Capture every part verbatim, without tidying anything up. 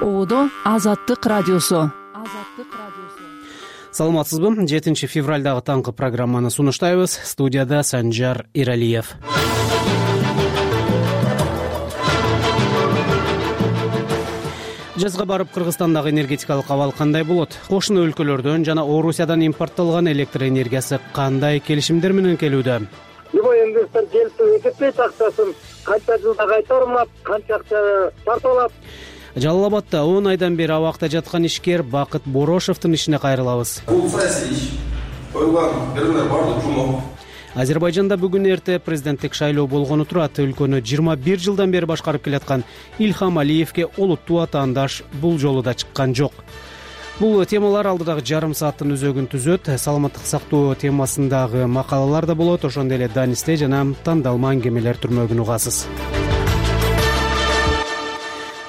Оодо Азаттык радиосу. Саламатсызбы? жетинчи февралдагы таңкы программаны сунуштайбыз. Студияда Санжар Иралиев. Жазга барып Кыргызстандагы энергетикалык абал кандай болот? Кошуна өлкөлөрдөн жана Орусиядан импорттолгон электр энергиясы кандай келишимдер менен келүүдө? Любой инвестор келип эсептейт акчасын, канча жылда кайтарылат, канча акча тартылат. Жалал Абадда он айдан бери абакта жаткан ишкер Бакыт Борошевдун ишине кайрылабыз. Бул саясий иш, коюлган берүүлөр баардыгы жумок. Азербайжанда бүгүн эрте президенттик шайлоо болгону турат. Өлкөнү жыйырма бир жылдан бери башкарып келаткан Илхам Алиевге олуттуу атаандаш бул жолу да чыккан жок. Бул темалар алдыдагы жарым сааттын өзөгүн түзөт. Саламаттык сактоо темасындагы макалалар да болот. Ошондой эле Данисте жана тандалма аңгемелер түрмөгүн угасыз.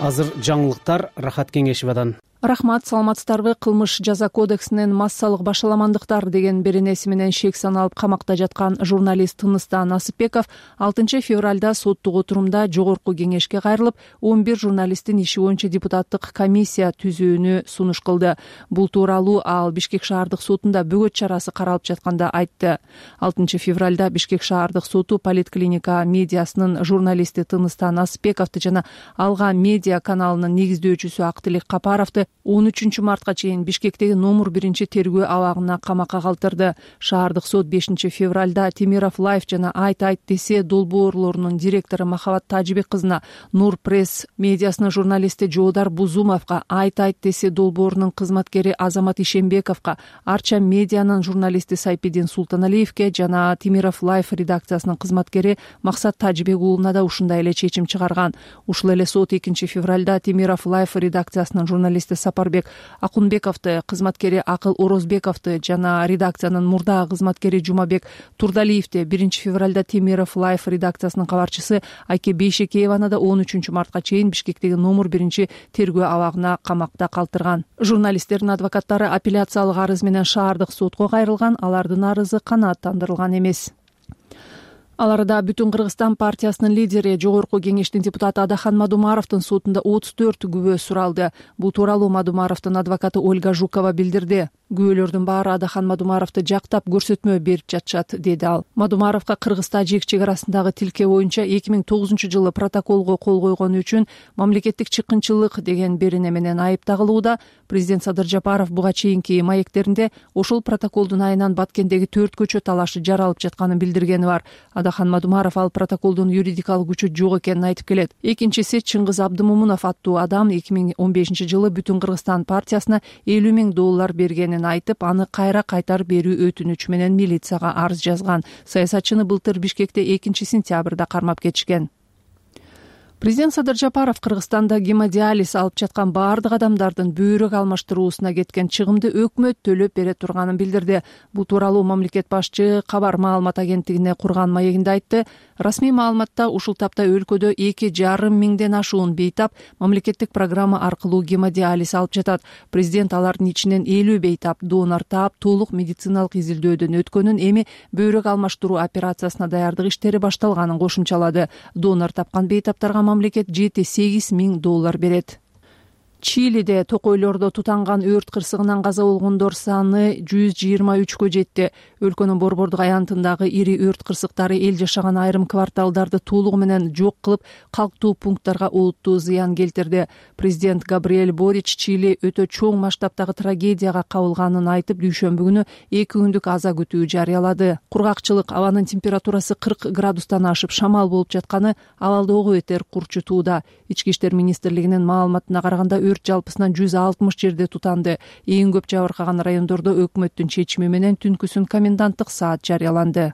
Азыр жаңылыктар Рахат Кеңешевадан. Рахмат, саламатсыздарбы? Кылмыш жаза кодексинен массалык башаламандыктар деген беренеси менен шек саналып камакта жаткан журналист Тыныстан Насыпбеков алтынчы февралда соттук отурумда жогорку кеңешке кайрылып, он бир журналисттин иши боюнча депутаттык комиссия түзүүнү сунуш кылды. Бул тууралуу ал Бишкек шаардык сотунда бөгөт чарасы каралып жатканда айтты. алтынчы февралда Бишкек шаардык соту Политклиника медиасынын журналисти Тыныстан Насыпбековду жана Алга медиа каналынын негиздөөчүсү Актылек Капаровду он үчүнчү мартка чейин Бишкектеги номер биринчи тергөө абагына камакка калтырды. Шаардык сот бешинчи февралда Темиров Лайф жана Айт Айт десе долбоорлорунун директору Махабат Тажибек кызына, Нур пресс медиасынын журналисти Жоодар Бузумовго, Айт Айт десе долбоорунун кызматкери Азамат Ишембековго, Арча медианын журналисти Сайпидин Султаналиевге жана Темиров Лайф редакциясынын кызматкери Максат Тажибек уулуна да ушундай эле чечим чыгарган. Ушул эле сот экинчи февралда Темиров Лайф редакциясынын журналисти Сапарбек Акунбековду, кызматкери Акыл Орозбековду жана редакциянын мурдагы кызматкери Жумабек Турдалиевди, биринчи февралда Темиров Лайф редакциясынын кабарчысы Айке Бейшекееваны да он үчүнчү мартка чейин Бишкектеги номер биринчи тергөө абагына камакта калтырган. Журналисттердин адвокаттары апелляциялык арыз менен шаардык сотко кайрылган, алардын арызы канааттандырылган эмес. Ал арада Бүтүн Кыргызстан партиясынын лидери, жогорку кеңештин депутаты Адахан Мадумаровдун сотунда отуз төрт күбө суралды. Бул тууралуу Мадумаровдун адвокаты Ольга Жукова билдирди. Күбөлөрдүн баары Адахан Мадумаровду жактап көрсөтмө берип жатышат, деди ал. Мадумаровго Кыргыз-Тажик чек арасындагы тилке боюнча эки миң тогузунчу жылы протоколго кол койгону үчүн мамлекеттик чыккынчылык деген берене менен айып тагылууда. Президент Садыр Жапаров буга чейинки маектеринде ошол протоколдун айынан Баткендеги төрт көчө талашы жаралып жатканын билдиргени бар. Адахан Мадумаров ал протоколдун юридикалык күчү жок экенин айтып келет. Экинчиси Чыңгыз Абдымомунов аттуу адам эки миң он бешинчи жылы Бүтүн Кыргызстан партиясына элүү миң доллар бергенин айтып, аны кайра кайтарып берүү өтүнүчү менен милицияга арыз жазган. Саясатчыны былтыр Бишкекте экинчи сентябрда кармап кетишкен. Президент Садыр Жапаров Кыргызстанда гемодиализ алып жаткан баардык адамдардын бөйрөк алмаштыруусуна кеткен чыгымды өкмөт төлөп бере турганын билдирди. Бул тууралуу мамлекет башчы Кабар маалымат агенттигине курган маегинде айтты. Расмий маалыматта ушул тапта өлкөдө эки жарым миңден ашуун бейтап мамлекеттик программа аркылуу гемодиализ алып жатат. Президент алардын ичинен элүү бейтап донор таап толук медициналык изилдөөдөн өткөнүн, эми бөйрөк алмаштыруу операциясына даярдык иштери башталганын кошумчалады. Донор тапкан бейтаптарга мамлекет жети-сегиз миң доллар берет. Чилиде токойлордо тутанган өрт кырсыгынан каза болгондор саны жүз жыйырма үчкө жетти. Өлкөнүн борбордук аянтындагы ири өрт кырсыктары эл жашаган айрым кварталдарды толугу менен жок кылып, калктуу пункттарга олуттуу зыян келтирди. Президент Габриэль Борич Чили өтө чоң масштабтагы трагедияга кабылганын айтып, дүйшөмбү күнү эки күндүк аза күтүү жарыялады. Кургакчылык, абанын температурасы кырк градустан ашып шамал болуп жатканы абалдоого бетер курчутууда. Ички иштер министрлигинин маалыматына караганда өрт жалпысынан жүз алтымыш жерде тутанды. Эң көп жабыркаган райондордо өкмөттүн чечими менен түнкүсүн коменданттык саат жарыяланды.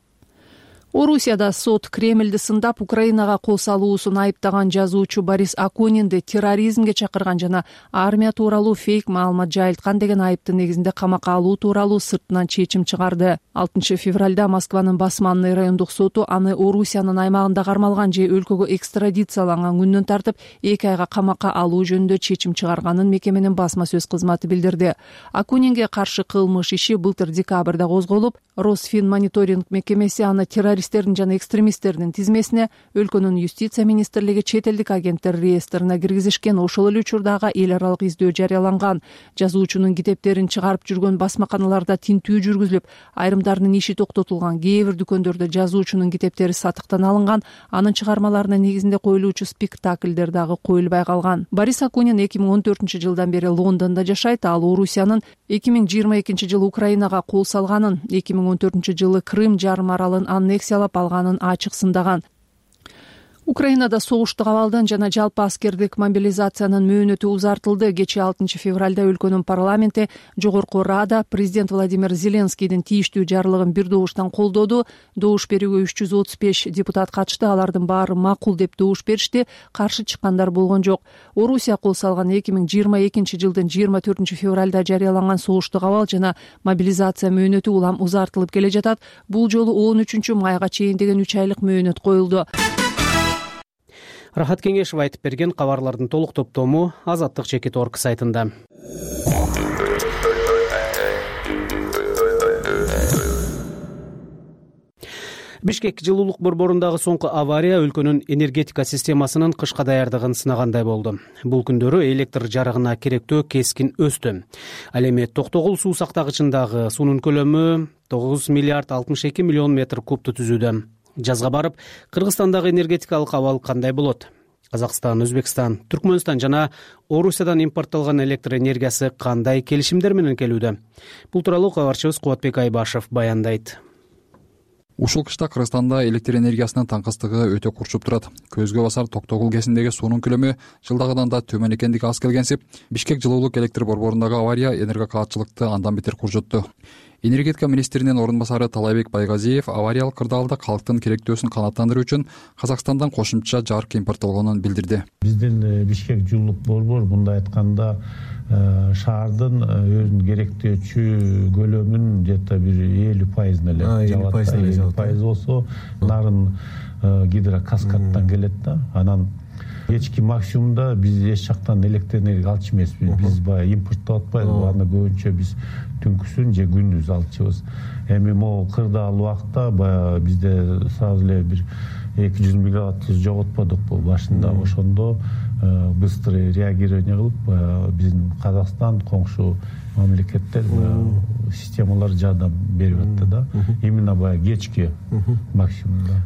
Орусияда сот Кремльди сындап Украинага кол салуусун айыптаган жазуучу Борис Акунинди терроризмге чакырган жана армия тууралуу фейк маалымат жайылткан деген айыптын негизинде камакка алуу тууралуу сыртынан чечим чыгарды. алтынчы февралда Москванын Басманный райондук соту аны Орусиянын аймагында кармалган же өлкөгө экстрадицияланган күндөн тартып эки айга камакка алуу жөнүндө чечим чыгарганын мекеменин басма сөз кызматы билдирди. Акунинге каршы кылмыш иши былтыр декабрда козголуп, Росфинмониторинг мекемеси аны террорист террористтердин жана экстремисттердин тизмесине өлкөнүн юстиция министрлиги чет элдик агенттер реестрине киргизишкен. Ошол эле учурдагы эл аралык издөө жарыяланган. Жазуучунун китептерин чыгарып жүргөн басмаканаларда тинтүү жүргүзүлүп, айрымдарынын иши токтотулган. Кээ бир дүкөндөрдө жазуучунун китептери сатыктан алынган. Анын чыгармаларынын негизинде коюлуучу спектакльдер дагы коюлбай калган. Борис Акунин эки миң он төртүнчү жылдан бери Лондондо жашайт. Ал Орусиянын эки миң жыйырма экинчи жылы Украинага кол салганын, эки миң он төртүнчү жылы Крым жарым аралын аннексиялап алганын ачык сындаган. Украинада согуштук абалдын жана жалпы аскердик мобилизациянын мөөнөтү узартылды. Кечээ алтынчы февралда өлкөнүн парламенти Жогорку Рада президент Владимир Зеленскийдин тийиштүү жарлыгын бир добуштан колдоду. Добуш берүүгө үч жүз отуз беш депутат катышты. Алардын баары макул деп добуш беришти. Каршы чыккандар болгон жок. Орусия кол салган эки миң жыйырма экинчи жылдын жыйырма төртүнчү февралда жарыяланган согуштук абал жана мобилизация мөөнөтү улам узартылып келе жатат. Бул жолу он үчүнчү майга чейин деген үч айлык мөөнөт коюлду. Рахат Кеңешов айтып берген кабарлардын толук топтому Азаттык чекит точка орг сайтында. Бишкек жылуулук борборундагы соңку авария өлкөнүн энергетика системасынын кышка даярдыгын сынагандай болду. Бул күндөрү электр жарыгына керектөө кескин өстү. Ал эми Токтогул суу сактагычындагы суунун көлөмү тогуз миллиард алтымыш эки миллион метр кубту түзүүдө. Жазга барып, Кыргызстандагы энергетикалык абал кандай болот? Казакстан, Өзбекстан, Түркмөнстан жана Орусиядан импортталган электр энергиясы кандай келишимдер менен келүүдө? Бул тууралуу кабарчыбыз Кубатбек Айбашев баяндайт. Ушул кышта Кыргызстанда электр энергиясынын таңкыстыгы өтө курчуп турат. Көзгө басар Токтогул кесиндеги суунун көлөмү жылдагыдан да төмөн экендиги аз келгенсип, Бишкек жылуулук электр борборундагы авария энергокаатчылыкты андан бетер куржутту. Энергетика министринин орун басары Талайбек Байгазиев авариялык кырдаалда калктын керектөөсүн канааттандыруу үчүн Казакстандан кошумча жарык импорттолгонун билдирди. Биздин Бишкек жылуулук борбор мындай айтканда шаардын өзүнүн керектөөчү көлөмүнүн где-то бир элүү пайызын эле жабат. элүү пайыз болсо нарын гидрокаскадтан келет да. Анан кечки максимумда биз эч жактан электр энергия алчу эмеспиз. Биз баягы импорттоп атпайбыз. Аны көбүнчө биз түнкүсүн же күндүз алчубыз. Эми могу кырдаал убакта баягы бизде сразу эле бир эки жүз мегаватт жоготподукпу башында. Ошондо быстрый реагирование кылып, биздин Казакстан, коңшу мамлекеттер системалар жардам берип атты да. Именно баягы кечки максимумда.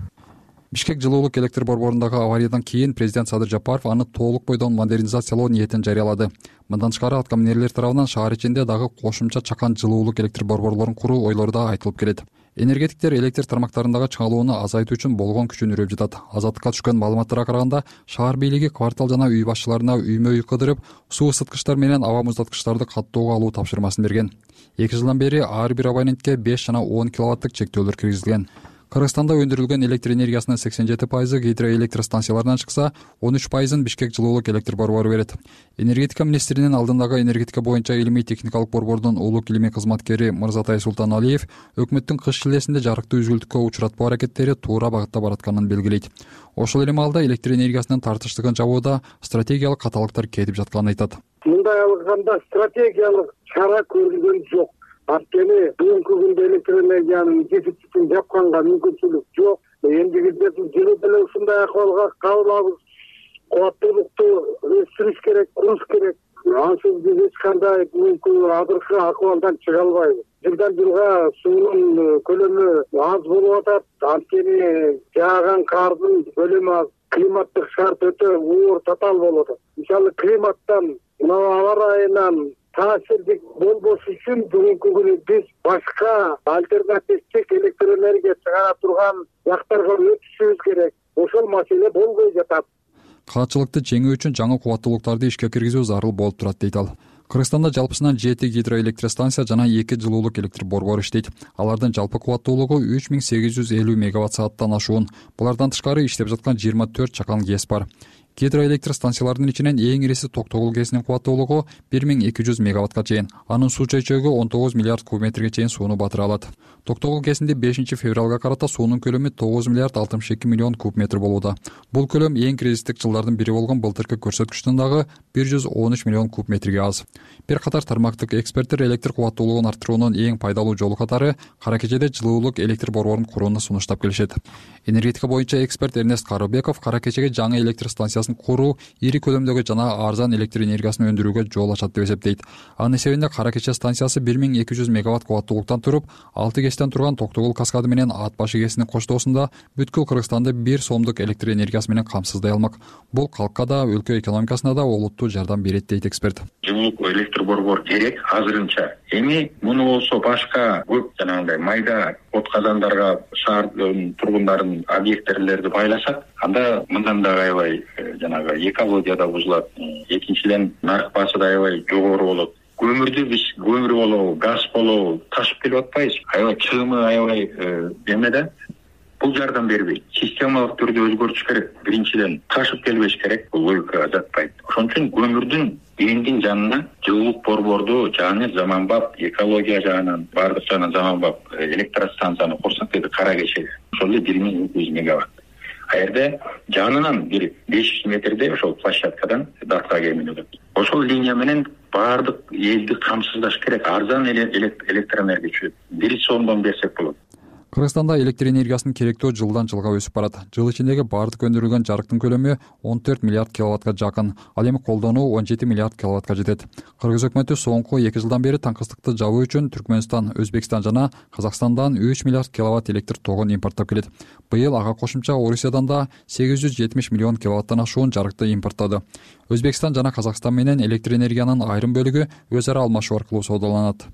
Бишкек жылуулук электр борборундагы авариядан кийин президент Садыр Жапаров аны толук бойдон модернизациялоо ниетин жарыялады. Мындан тышкары аткаминерлер тарабынан шаар ичинде дагы кошумча чакан жылуулук электр борборлорун куруу ойлору да айтылып келет. Энергетиктер электр тармактарындагы чыңалууну азайтуу үчүн болгон күчүн үрөп жатат. Азаттыкка түшкөн маалыматтарга караганда, шаар бийлиги квартал жана үй башчыларына үймө үй кыдырып, суу ысыткычтар менен аба муздаткычтарды каттоого алуу тапшырмасын берген. эки жылдан бери ар бир абонентке беш жана он киловаттык чектөөлөр киргизилген. Кыргызстанда өндүрүлгөн электр энергиясынын сексен жети пайызы гидроэлектр станцияларынан чыкса, он үч пайызын Бишкек жылуулук электр борбору берет. Энергетика министринин алдындагы энергетика боюнча илимий техникалык борбордун улук илимий кызматкери Мырзатай Султаналиев өкмөттүн кыш шилесинде жарыкты үзгүлтүккө учуратпоо аракеттери туура багытта баратканын белгилейт. Ошол эле маалда электр энергиясынын тартыштыгын жабууда стратегиялык каталыктар кетип жатканын айтат. Мындай алганда стратегиялык чара көрүлгөн жок. Анткени бүгүнкү күндө электр энергиянын дефицитин жапканга мүмкүнчүлүк жок. Эндигиде жыл деле ушундай акыбалга кабылабыз. Кубаттуулукту өстүрүш керек, куруш керек. Ансыз биз эч кандай бүгүнкү азыркы акыбалдан чыга албайбыз. Жылдан жылга суунун көлөмү аз болуп атат. Анткени жааган кардын көлөмү аз. Климаттык шарт өтө оор татаал болуп атат. Мисалы климаттан, мына аба ырайынан таасирдик болбош үчүн бүгүнкү күнү биз башка альтернативдик электр энергия чыгара турган жактарга өтүшүбүз керек. Ошол маселе болбой жатат. Каатчылыкты жеңүү үчүн жаңы кубаттуулуктарды ишке киргизүү зарыл болуп турат дейт ал. Кыргызстанда жалпысынан жети гидроэлектростанция жана эки жылуулук электр борбору иштейт. Алардын жалпы кубаттуулугу үч миң сегиз жүз элүү мегаватт сааттан ашуун. Булардан тышкары иштеп жаткан жыйырма төрт чакан ГЭС бар. Гидроэлектростанциялардын ичинен эң ириси Токтогул ГЭСинин кубаттуулугу бир миң эки жүз мегаваттка чейин. Анын суу чөйчөгү он тогуз миллиард куб метрге чейин сууну батыра алат. Токтогул ГЭСинде бешинчи февралга карата суунун көлөмү тогуз миллиард алтымыш эки миллион куб метр болууда. Бул көлөм эң кризистик жылдардын бири болгон былтыркы көрсөткүчтөн дагы бир жүз он үч миллион куб метрге аз. Бир катар тармактык эксперттер электр кубаттуулугун арттыруунун эң пайдалуу жолу катары Кара Кечеде жылуулук электр борборун курууну сунуштап келишет. Энергетика боюнча эксперт Эрнест Карыбеков Кара Кечеге жаңы электр станциясын куруу ири көлөмдөгү жана арзан электр энергиясын өндүрүүгө жол ачат деп эсептейт. Анын эсебинде Кара Кече станциясы бир миң эки жүз мегаватт кубаттуулуктан туруп, алты кечтен турган Токтогул каскады менен Ат башы кесинин коштоосунда бүткүл Кыргызстанды бир сомдук электр энергиясы менен камсыздай алмак. Бул калкка да, өлкө экономикасына да олуттуу жардам берет дейт эксперт. Жылуулук электр борбор керек азырынча. Эми муну болсо башка көп жанагындай майда от казандарга шаардын тургундарынын объекттерлерди байласак, анда мындан да аябай жанагы экология да бузулат. Экинчиден нарк баасы да аябай жогору болот. Көмүрдү биз көмүр болобу, газ болобу ташып келип атпайбыз. Аябай чыгымы аябай эмеде. Бул жардам бербейт. Системалык түрдө өзгөртүш керек. Биринчиден ташып келбеш керек. Бул логикага жатпайт. Ошон үчүн көмүрдүн эндин жанына жылуулук борборду жаңы заманбап экология жагынан баардык жагынан заманбап электростанцияны курсак деди Кара Кечеге. Ошол эле бир миң эки жүз мегаватт. А жерде жанынан бир беш жүз метрде ошол площадкадан датка кеминет. Ошол линия менен баардык элди камсыздаш керек. Арзан электр энергия бир сомдон берсек болот. Кыргызстанда электр энергиясынын керектөө жылдан жылга өсүп барат. Жыл ичиндеги баардык өндүрүлгөн жарыктын көлөмү он төрт миллиард киловаттка жакын. Ал эми колдонуу он жети миллиард киловаттка жетет. Кыргыз өкмөтү соңку эки жылдан бери таңкыстыкты жабуу үчүн Түркмөнстан, Өзбекстан жана Казакстандан үч миллиард киловатт электр тогун импорттоп келет. Быйыл ага кошумча Орусиядан да сегиз жүз жетимиш миллион киловаттан ашуун жарыкты импорттоду. Өзбекстан жана Казакстан менен электр энергиянын айрым бөлүгү өз ара алмашуу аркылуу саудаланат.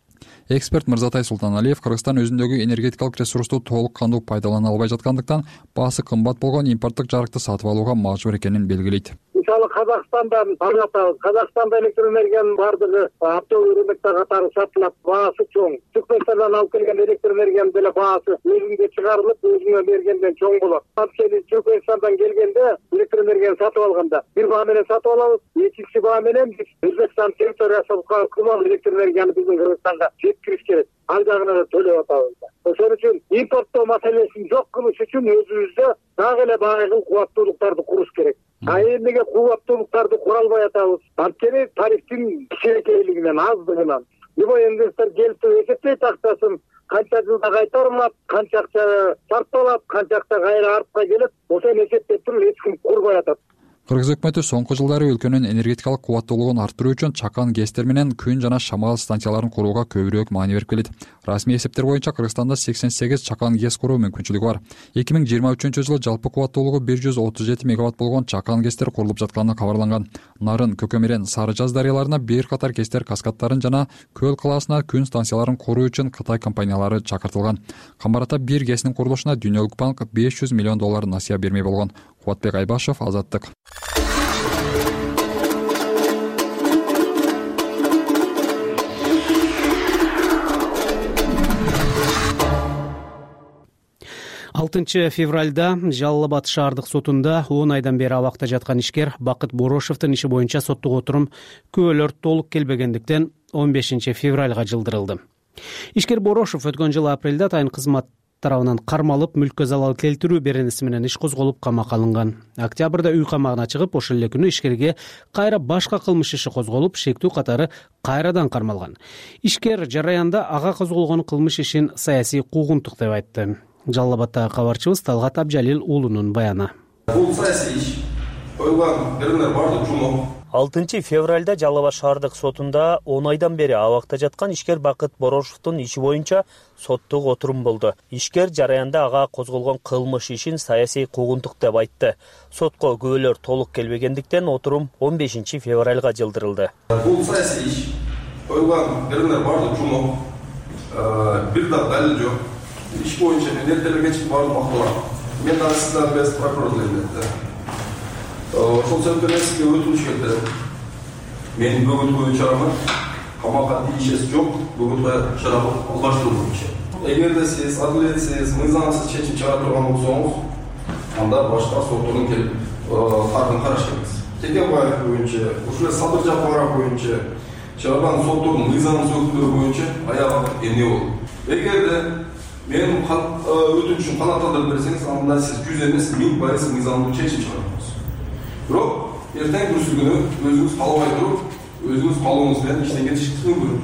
Эксперт Мырзатай Султаналиев Кыргызстан өзүндөгү энергетикалык ресурсту толук кандуу пайдалана албай жаткандыктан баасы кымбат болгон импорттук жарыкты сатып алууга мажбур экенин белгилейт. Мисалы Казакстандан алатабыз. Казакстанда электр энергиянын бардыгы оптовый рынокто катары сатылат, баасы чоң. Түркмөнстандан алып келген электр энергиянын деле баасы өзүнгө чыгарылып, өзүнө бергенден чоң болот. Анткени Түркмөнстандан келгенде электр энергияны сатып алганда бир баа менен сатып алабыз, экинчи баа менен биз Өзбекстан территориясына кымал электр энергияны биздин Кыргызстанга жеткириш керек. Ал жагына да төлөп атабыз. Ошон үчүн импорттоо маселесин жок кылыш үчүн өзүбүздө дагы эле байыркы кубаттуулуктарды куруш керек. А эмнеге кубаттуулуктарды кура албай атабыз? Анткени тарифтин кичинекейлигинен, аздыгынан. Любой инвестор келип эсептейт акчасын, канча жылда кайтарылат, канча акча сарпталат, канча акча кайра артка келет. Ошону эсептеп туруп эч ким курбай атат. Кыргыз өкмөтү соңку жылдары өлкөнүн энергетикалык кубаттуулугун арттыруу үчүн чакан гэстер менен күн жана шамал станцияларын курууга көбүрөөк маани берип келет. Расмий эсептер боюнча Кыргызстанда сексен сегиз чакан гэс куруу мүмкүнчүлүгү бар. эки миң жыйырма үчүнчү жылы жалпы кубаттуулугу бир жүз отуз жети мегаватт болгон чакан гэстер курулуп жатканы кабарланган. Нарын, Көкөмерен, Сары Жаз дарыяларына бир катар гэстер каскадтарын жана Көл калаасына күн станцияларын куруу үчүн Кытай компаниялары чакыртылган. Камбарата бир гэстин курулушуна Дүйнөлүк банк беш жүз миллион доллар насыя бермей болгон. Кубатбек Айбашев, Азаттык. алтынчы февралда Жалал Абад шаардык сотунда он айдан бери абакта жаткан ишкер Бакыт Борошовдун иши боюнча соттук отурум күбөлөр толук келбегендиктен он бешинчи февралга жылдырылды. Ишкер Борошов өткөн жылы апрелде атайын кызмат тарабынан кармалып, мүлккө залал келтирүү беренеси менен иш козголуп камакка алынган. Октябрда үй камагына чыгып, ошол эле күнү ишкерге кайра башка кылмыш иши козголуп, шектүү катары кайрадан кармалган. Ишкер жараянда ага козголгон кылмыш ишин саясий куугунтук деп айтты. Жалал Абадтагы кабарчыбыз Талгат Абжалил уулунун баяны. Бул саясий иш койгон беренелер бардык жумок. алтынчы февралда Жалал Абад шаардык сотунда он айдан бери абакта жаткан ишкер Бакыт Борошовдун иши боюнча соттук отурум болду. Ишкер жараянда ага козголгон кылмыш ишин саясий куугунтук деп айтты. Сотко күбөлөр толук келбегендиктен отурум он бешинчи февралга жылдырылды. Бул саясий иш койгон беренелер бардык жумок. Бир да далил жок. Иш боюнча мен эртелерге чыгып бардым макталам. Мен дагы сиздердин без прокурорлор эмнетти. Ошол себептен сизге өтүнүш келди. Менин бөгөт коюу чарама камакка тийишеси жок, бөгөт коюу чараны алгаштыруу боюнча. Эгерде сиз адилетсиз, мыйзамсыз чечим чыгара турган болсоңуз, анда башка соттордон келип кардын караш керексиз. Текебаев боюнча, ушул Садыр Жапаров боюнча чыгарган соттордун мыйзамсыз өкүмдөрү боюнча аягы эмне болду? Эгерде менин өтүнүшүм канааттандырып берсеңиз, анда сиз жүз эмес, миң пайыз мыйзамдуу чечим чыгарасыз. Бирок эртең бүрсү күнү өзүңүз каалабай туруп, өзүңүз каалооңуз менен иштен кетишиңиз мүмкүн.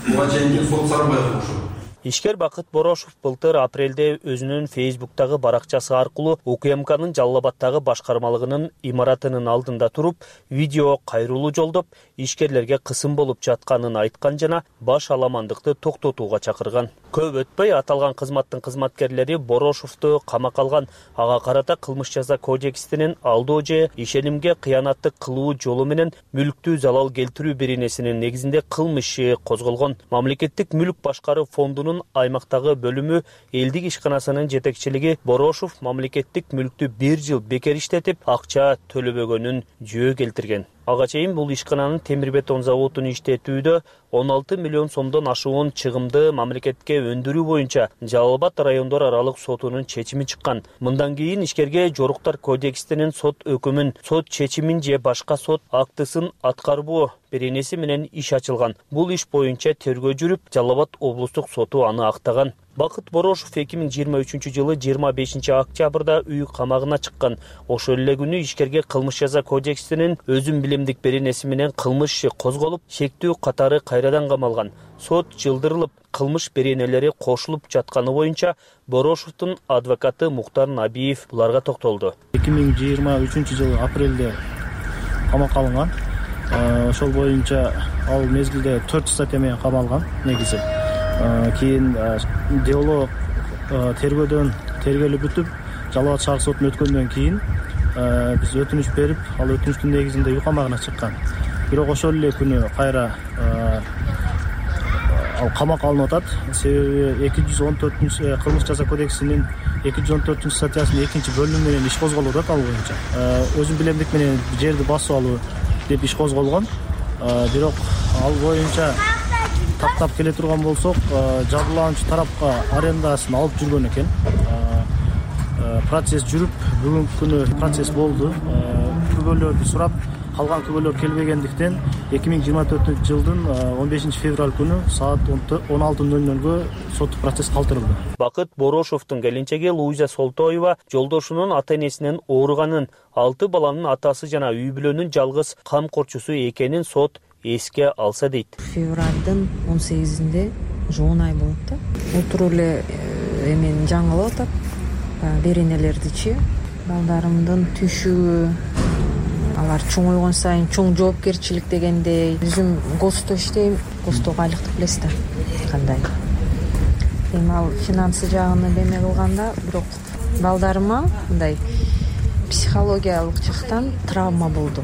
Буга чейин сот Сарыбаев ошо. Ишкер Бакыт Борошов былтыр апрелде өзүнүн Фейсбуктагы баракчасы аркылуу УКМКнын Жалал Абадтагы башкармалыгынын имаратынын алдында туруп, видео кайрылуу жолдоп, ишкерлерге кысым болуп жатканын айткан жана баш аламандыкты токтотууга чакырган. Көп өтпөй аталган кызматтын кызматкерлери Борошовду камакка алган. Ага карата кылмыш жаза кодексинин алдоо же ишенимге кыянаттык кылуу жолу менен мүлктү залал келтирүү беренесинин негизинде кылмыш иши козголгон. Мамлекеттик мүлк башкаруу фондунун аймактагы бөлүмү элдик ишканасынын жетекчилиги Борошов мамлекеттик мүлктү бир жыл бекер иштетип, акча төлөбөгөнүн жөө келтирген. Ага чейин бул ишкананын темир бетон заводун иштетүүдө он алты миллион сомдон ашуун чыгымды мамлекетке өндүрүү боюнча Жалал Абад райондор аралык сотунун чечими чыккан. Мындан кийин ишкерге жоруктар кодексинин сот өкүмүн, сот чечимин же башка сот актысын аткарбоо беренеси менен иш ачылган. Бул иш боюнча тергөө жүрүп, Жалал Абад облустук соту аны актаган. Бакыт Борошов эки миң жыйырма үчүнчү жылы жыйырма бешинчи октябрда үй камагына чыккан. Ошол эле күнү ишкерге кылмыш жаза кодексинин өзүн билемдик беренеси менен кылмыш иши козголуп, шектүү катары кайрадан камалган. Сот жылдырылып, кылмыш беренелери кошулуп жатканы боюнча Борошовдун адвокаты Муктар Набиев буларга токтолду. эки миң жыйырма үчүнчү жылы апрелде камакка алынган. Ошол боюнча ал мезгилде төрт статья менен камалган негизи. Кийин дело тергөөдөн тергелип бүтүп, Жалал Абад шаар сотуна өткөндөн кийин биз өтүнүч берип, ал өтүнүчтүн негизинде үй камагына чыккан. Бирок ошол эле күнү кайра ал камакка алынып атат. Себеби эки жүз он төртүнчү кылмыш жаза кодексинин эки жүз он төртүнчү статьясынын экинчи бөлүмү менен иш козголуп атат ал боюнча. Өзүн билемдик менен жерди басып алуу деп иш козголгон. Бирок ал боюнча тактап келе турган болсок, жабырлануучу тарапка арендасын алып жүргөн экен. Процесс жүрүп, бүгүнкү күнү процесс болду. Күбөлөрдү сурап, калган күбөлөр келбегендиктен эки миң жыйырма төртүнчү жылдын он бешинчи февраль күнү саат он алты ноль нольго соттук процесс калтырылды. Бакыт Борошовдун келинчеги Луиза Солтоева жолдошунун ата-энесинин ооруганын, алты баланын атасы жана үй бүлөнүн жалгыз камкорчусу экенин сот эске алса дейт. Февралдын он сегизинде жоон ай болот да. Отуруп эле эмени жаңылап атат. Беренелердичи, балдарымдын түшүгү, алар чоңойгон сайын чоң жоопкерчилик дегендей. Өзүм госто иштейм, гостого айлыктык билесиз да кандай. Эми ал финансы жагын эме кылганда, бирок балдарыма мындай психологиялык жактан травма болду.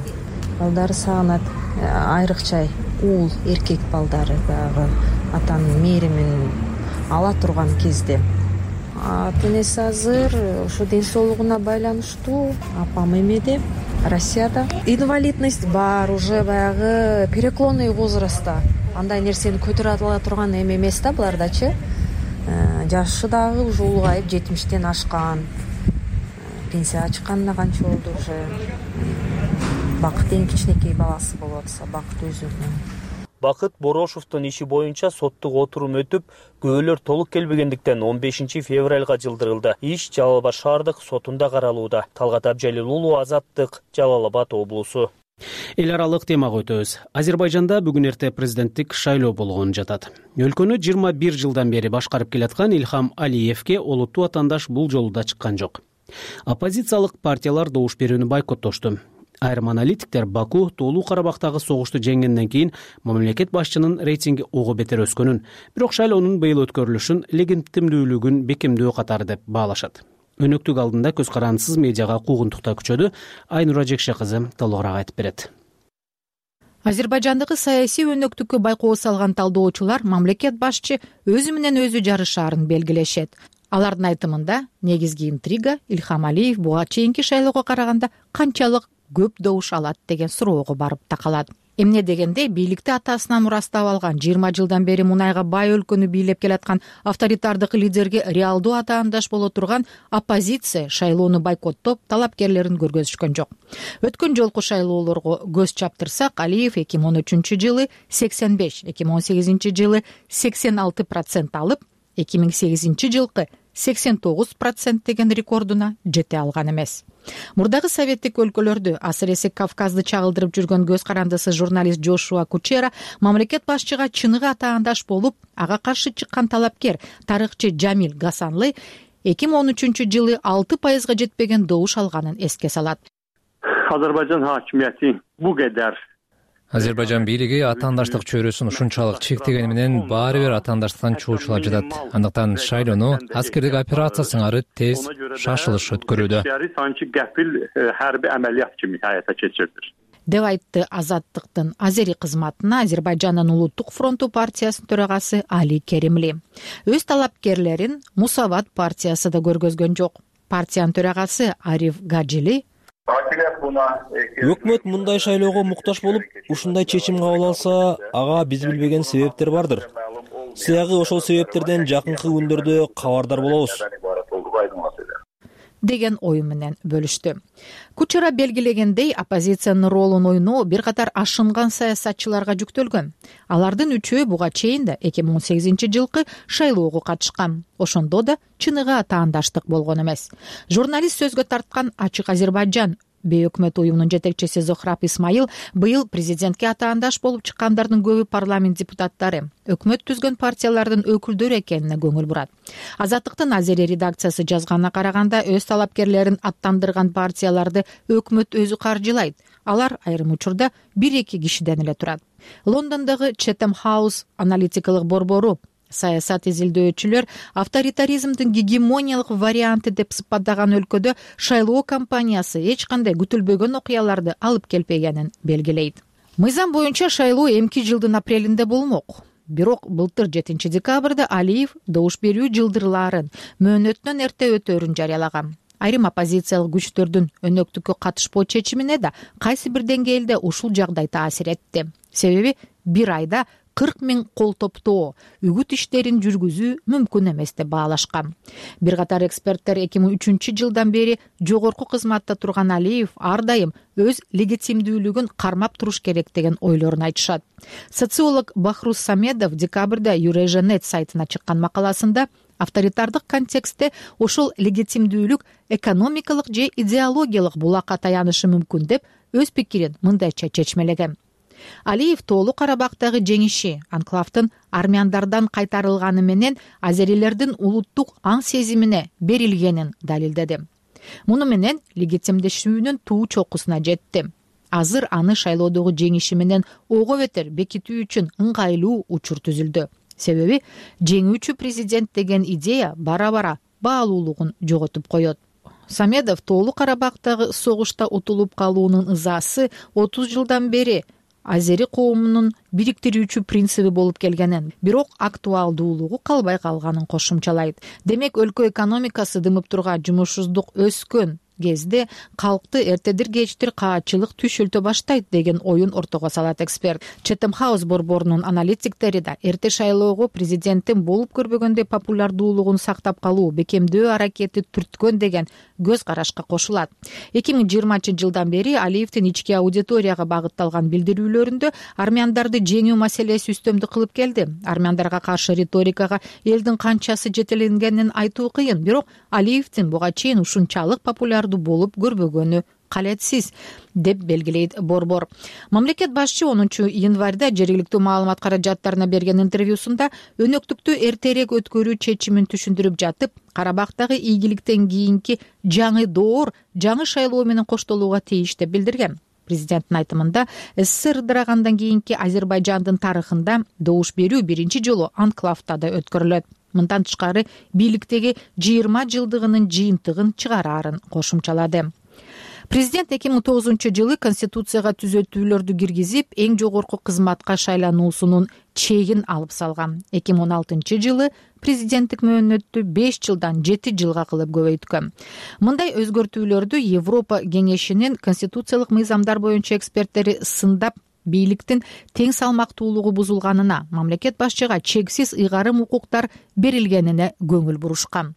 Балдары сагынат, айрыкча уул, эркек балдары баягы атанын мээримин ала турган кезде. Ата-энеси азыр ошо ден соолугуна байланыштуу, апам эмеде, Россияда. Инвалидность бар, уже баягы переклонный возрастта. Андай нерсени көтөрө ала турган эме эмес да булардачы. Жашы дагы уже улгайып, жетимиштен ашкан. Пенсияга чыкканына канча болду уже. Бакыт эң кичинекей баласы болуп атса, Бакыт өзү. Бакыт Борошовдун иши боюнча соттук отурум өтүп, күбөлөр толук келбегендиктен он бешинчи февралга жылдырылды. Иш Жалал Абад шаардык сотунда каралууда. Талгат Абжалил уулу, Азаттык, Жалал Абад облусу. Эл аралык темага өтөбүз. Азербайжанда бүгүн эрте президенттик шайлоо болгону жатат. Өлкөнү жыйырма бир жылдан бери башкарып келаткан Ильхам Алиевке олуттуу атаандаш бул жолу да чыккан жок. Оппозициялык партиялар добуш берүүнү бойкоттошту. Айрым аналитиктер Баку Тоолуу Карабактагы согушту жеңгенден кийин мамлекет башчынын рейтинги ого бетер өскөнүн, бирок шайлоонун быйыл өткөрүлүшүн легитимдүүлүгүн бекемдөө катары деп баалашат. Өнөктүк алдында көз карандысыз медиага куугунтукта күчөдү. Айнура Жекше кызы толугураак айтып берет. Азербайжандагы саясий өнөктүккө байкоо салган талдоочулар мамлекет башчы өзү менен өзү жарышаарын белгилешет. Алардын айтымында негизги интрига Ильхам Алиев буга чейинки шайлоого караганда канчалык көп добуш алат деген суроого барып такалат. Эмне дегенде бийликти атасынан мурастап алган жыйырма жылдан бери мунайга бай өлкөнү бийлеп келаткан авторитардык лидерге реалдуу атаандаш боло турган оппозиция шайлоону бойкоттоп, талапкерлерин көргөзүшкөн жок. Өткөн жолку шайлоолорго көз чаптырсак, Алиев эки миң он үчүнчү жылы сексен беш, эки миң он сегизинчи жылы сексен алты процент алып, эки миң сегизинчи жылкы сексен тогуз процент деген рекордуна жете алган эмес. Мурдагы советтик өлкөлөрдү, асыресе Кавказды чагылдырып жүргөн көз карандысыз журналист Джошуа Кучера мамлекет башчыга чыныгы атаандаш болуп, ага каршы чыккан талапкер тарыхчы Жамил Гасанлы эки миң он үчүнчү жылы алты пайызга жетпеген добуш алганын эске салат. Азербайжан хакимияти бу кадар Азербайжан бийлиги атаандаштык чөйрөсүн ушунчалык чектегени менен баары бир атаандаштыктан чуучулап жатат. Андыктан шайлоону аскердик операция сыңары тез, шашылыш өткөрүүдө деп айтты Азаттыктын Азери кызматына Азербайжандын Улуттук фронту партиясынын төрагасы Али Керимли. Өз талапкерлерин Мусават партиясы да көргөзгөн жок. Партиянын төрагасы Ариф Гаджили өкмөт мындай шайлоого муктаж болуп, ушундай чечим кабыл алса, ага биз билбеген себептер бардыр. Сыягы ошол себептерден жакынкы күндөрдө кабардар болобуз деген ою менен бөлүштү. Кучера белгилегендей, оппозициянын ролун ойноо бир катар ашынган саясатчыларга жүктөлгөн. Алардын үчөө буга чейин да эки миң он сегизинчи жылкы шайлоого катышкан. Ошондо да чыныгы атаандаштык болгон эмес. Журналист сөзгө тарткан Ачык Азербайжан бейөкмөт уюмунун жетекчиси Зохраб Исмаил быйыл президентке атаандаш болуп чыккандардын көбү парламент депутаттары, өкмөт түзгөн партиялардын өкүлдөрү экенине көңүл бурат. Азаттыктын Азери редакциясы жазганына караганда, өз талапкерлерин аттандырган партияларды өкмөт өзү каржылайт. Алар айрым учурда бир-эки кишиден эле турат. Лондондогу Chatham House аналитикалык борбору саясат изилдөөчүлөр авторитаризмдин гегемониялык варианты деп сыпаттаган өлкөдө шайлоо кампаниясы эч кандай күтүлбөгөн окуяларды алып келбегенин белгилейт. Мыйзам боюнча шайлоо эмки жылдын апрелинде болмок. Бирок былтыр жетинчи декабрда Алиев добуш берүү жылдырларын мөөнөтүнөн эрте өтөөрүн жарыялаган. Айрым оппозициялык күчтөрдүн өнөктүккө катышпоо чечимине да кайсы бир деңгээлде ушул жагдай таасир этти. Себеби бир айда кырк миң кол топтоо, үгүт иштерин жүргүзүү мүмкүн эмес деп баалашкан. Бир катар эксперттер эки миң үчүнчү жылдан бери жогорку кызматта турган Алиев ар дайым өз легитимдүүлүгүн кармап туруш керек деген ойлорун айтышат. Социолог Бахрус Самедов декабрда Eurasia net сайтына чыккан макаласында авторитардык контекстте ошол легитимдүүлүк экономикалык же идеологиялык булакка таянышы мүмкүн деп өз пикирин мындайча чечмелеген. Алиев Тоолу Карабактагы жеңиши, анклавдын армяндардан кайтарылганы менен азерилердин улуттук аң сезимине берилгенин далилдеди. Муну менен легитимдешүүнүн туу чокусуна жетти. Азыр аны шайлоодогу жеңиши менен ого бетер бекитүү үчүн ыңгайлуу учур түзүлдү. Себеби жеңүүчү президент деген идея бара-бара баалуулугун жоготуп коет. Самедов Тоолу Карабактагы согушта утулуп калуунун ызасы отуз жылдан бери азери коомунун бириктирүүчү принциби болуп келгенин, бирок актуалдуулугу калбай калганын кошумчалайт. Демек, өлкө экономикасы дымып турган, жумушсуздук өскөн кезде калкты эртедир кечтир каатчылык түшүлтө баштайт деген оюн ортого салат эксперт. Chatham House борборунун аналитиктери да эрте шайлоого президенттин болуп көрбөгөндөй популярдуулугун сактап калуу, бекемдөө аракети түрткөн деген көз карашка кошулат. эки миң жыйырманчы жылдан бери Алиевдин ички аудиторияга багытталган билдирүүлөрүндө армяндарды жеңүү маселеси үстөмдүк кылып келди. Армяндарга каршы риторикага элдин канчасы жетеленгенин айтуу кыйын, бирок Алиевдин буга чейин ушунчалык популяр болуп көрбөгөнү калетсиз деп белгилейт борбор. Мамлекет башчы онунчу январда жергиликтүү маалымат каражаттарына берген интервьюсунда өнөктүктү эртерээк өткөрүү чечимин түшүндүрүп жатып, Карабактагы ийгиликтен кийинки жаңы доор жаңы шайлоо менен коштолууга тийиш деп билдирген. Президенттин айтымында, СССР ыдырагандан кийинки Азербайжандын тарыхында добуш берүү биринчи жолу анклавда да өткөрүлөт. Мындан тышкары бийликтеги жыйырма жылдыгынын жыйынтыгын чыгараарын кошумчалады. Президент эки миң тогузунчу жылы Конституцияга түзөтүүлөрдү киргизип, эң жогорку кызматка шайлануусунун чегин алып салган. эки миң он алтынчы жылы президенттик мөөнөттү беш жылдан жети жылга кылып көбөйткөн. Мындай өзгөртүүлөрдү Европа кеңешинин конституциялык мыйзамдар боюнча эксперттери сындап, бийликтин тең салмактуулугу бузулганына, мамлекет башчыга чексиз ыйгарым укуктар берилгенине көңүл бурушкан.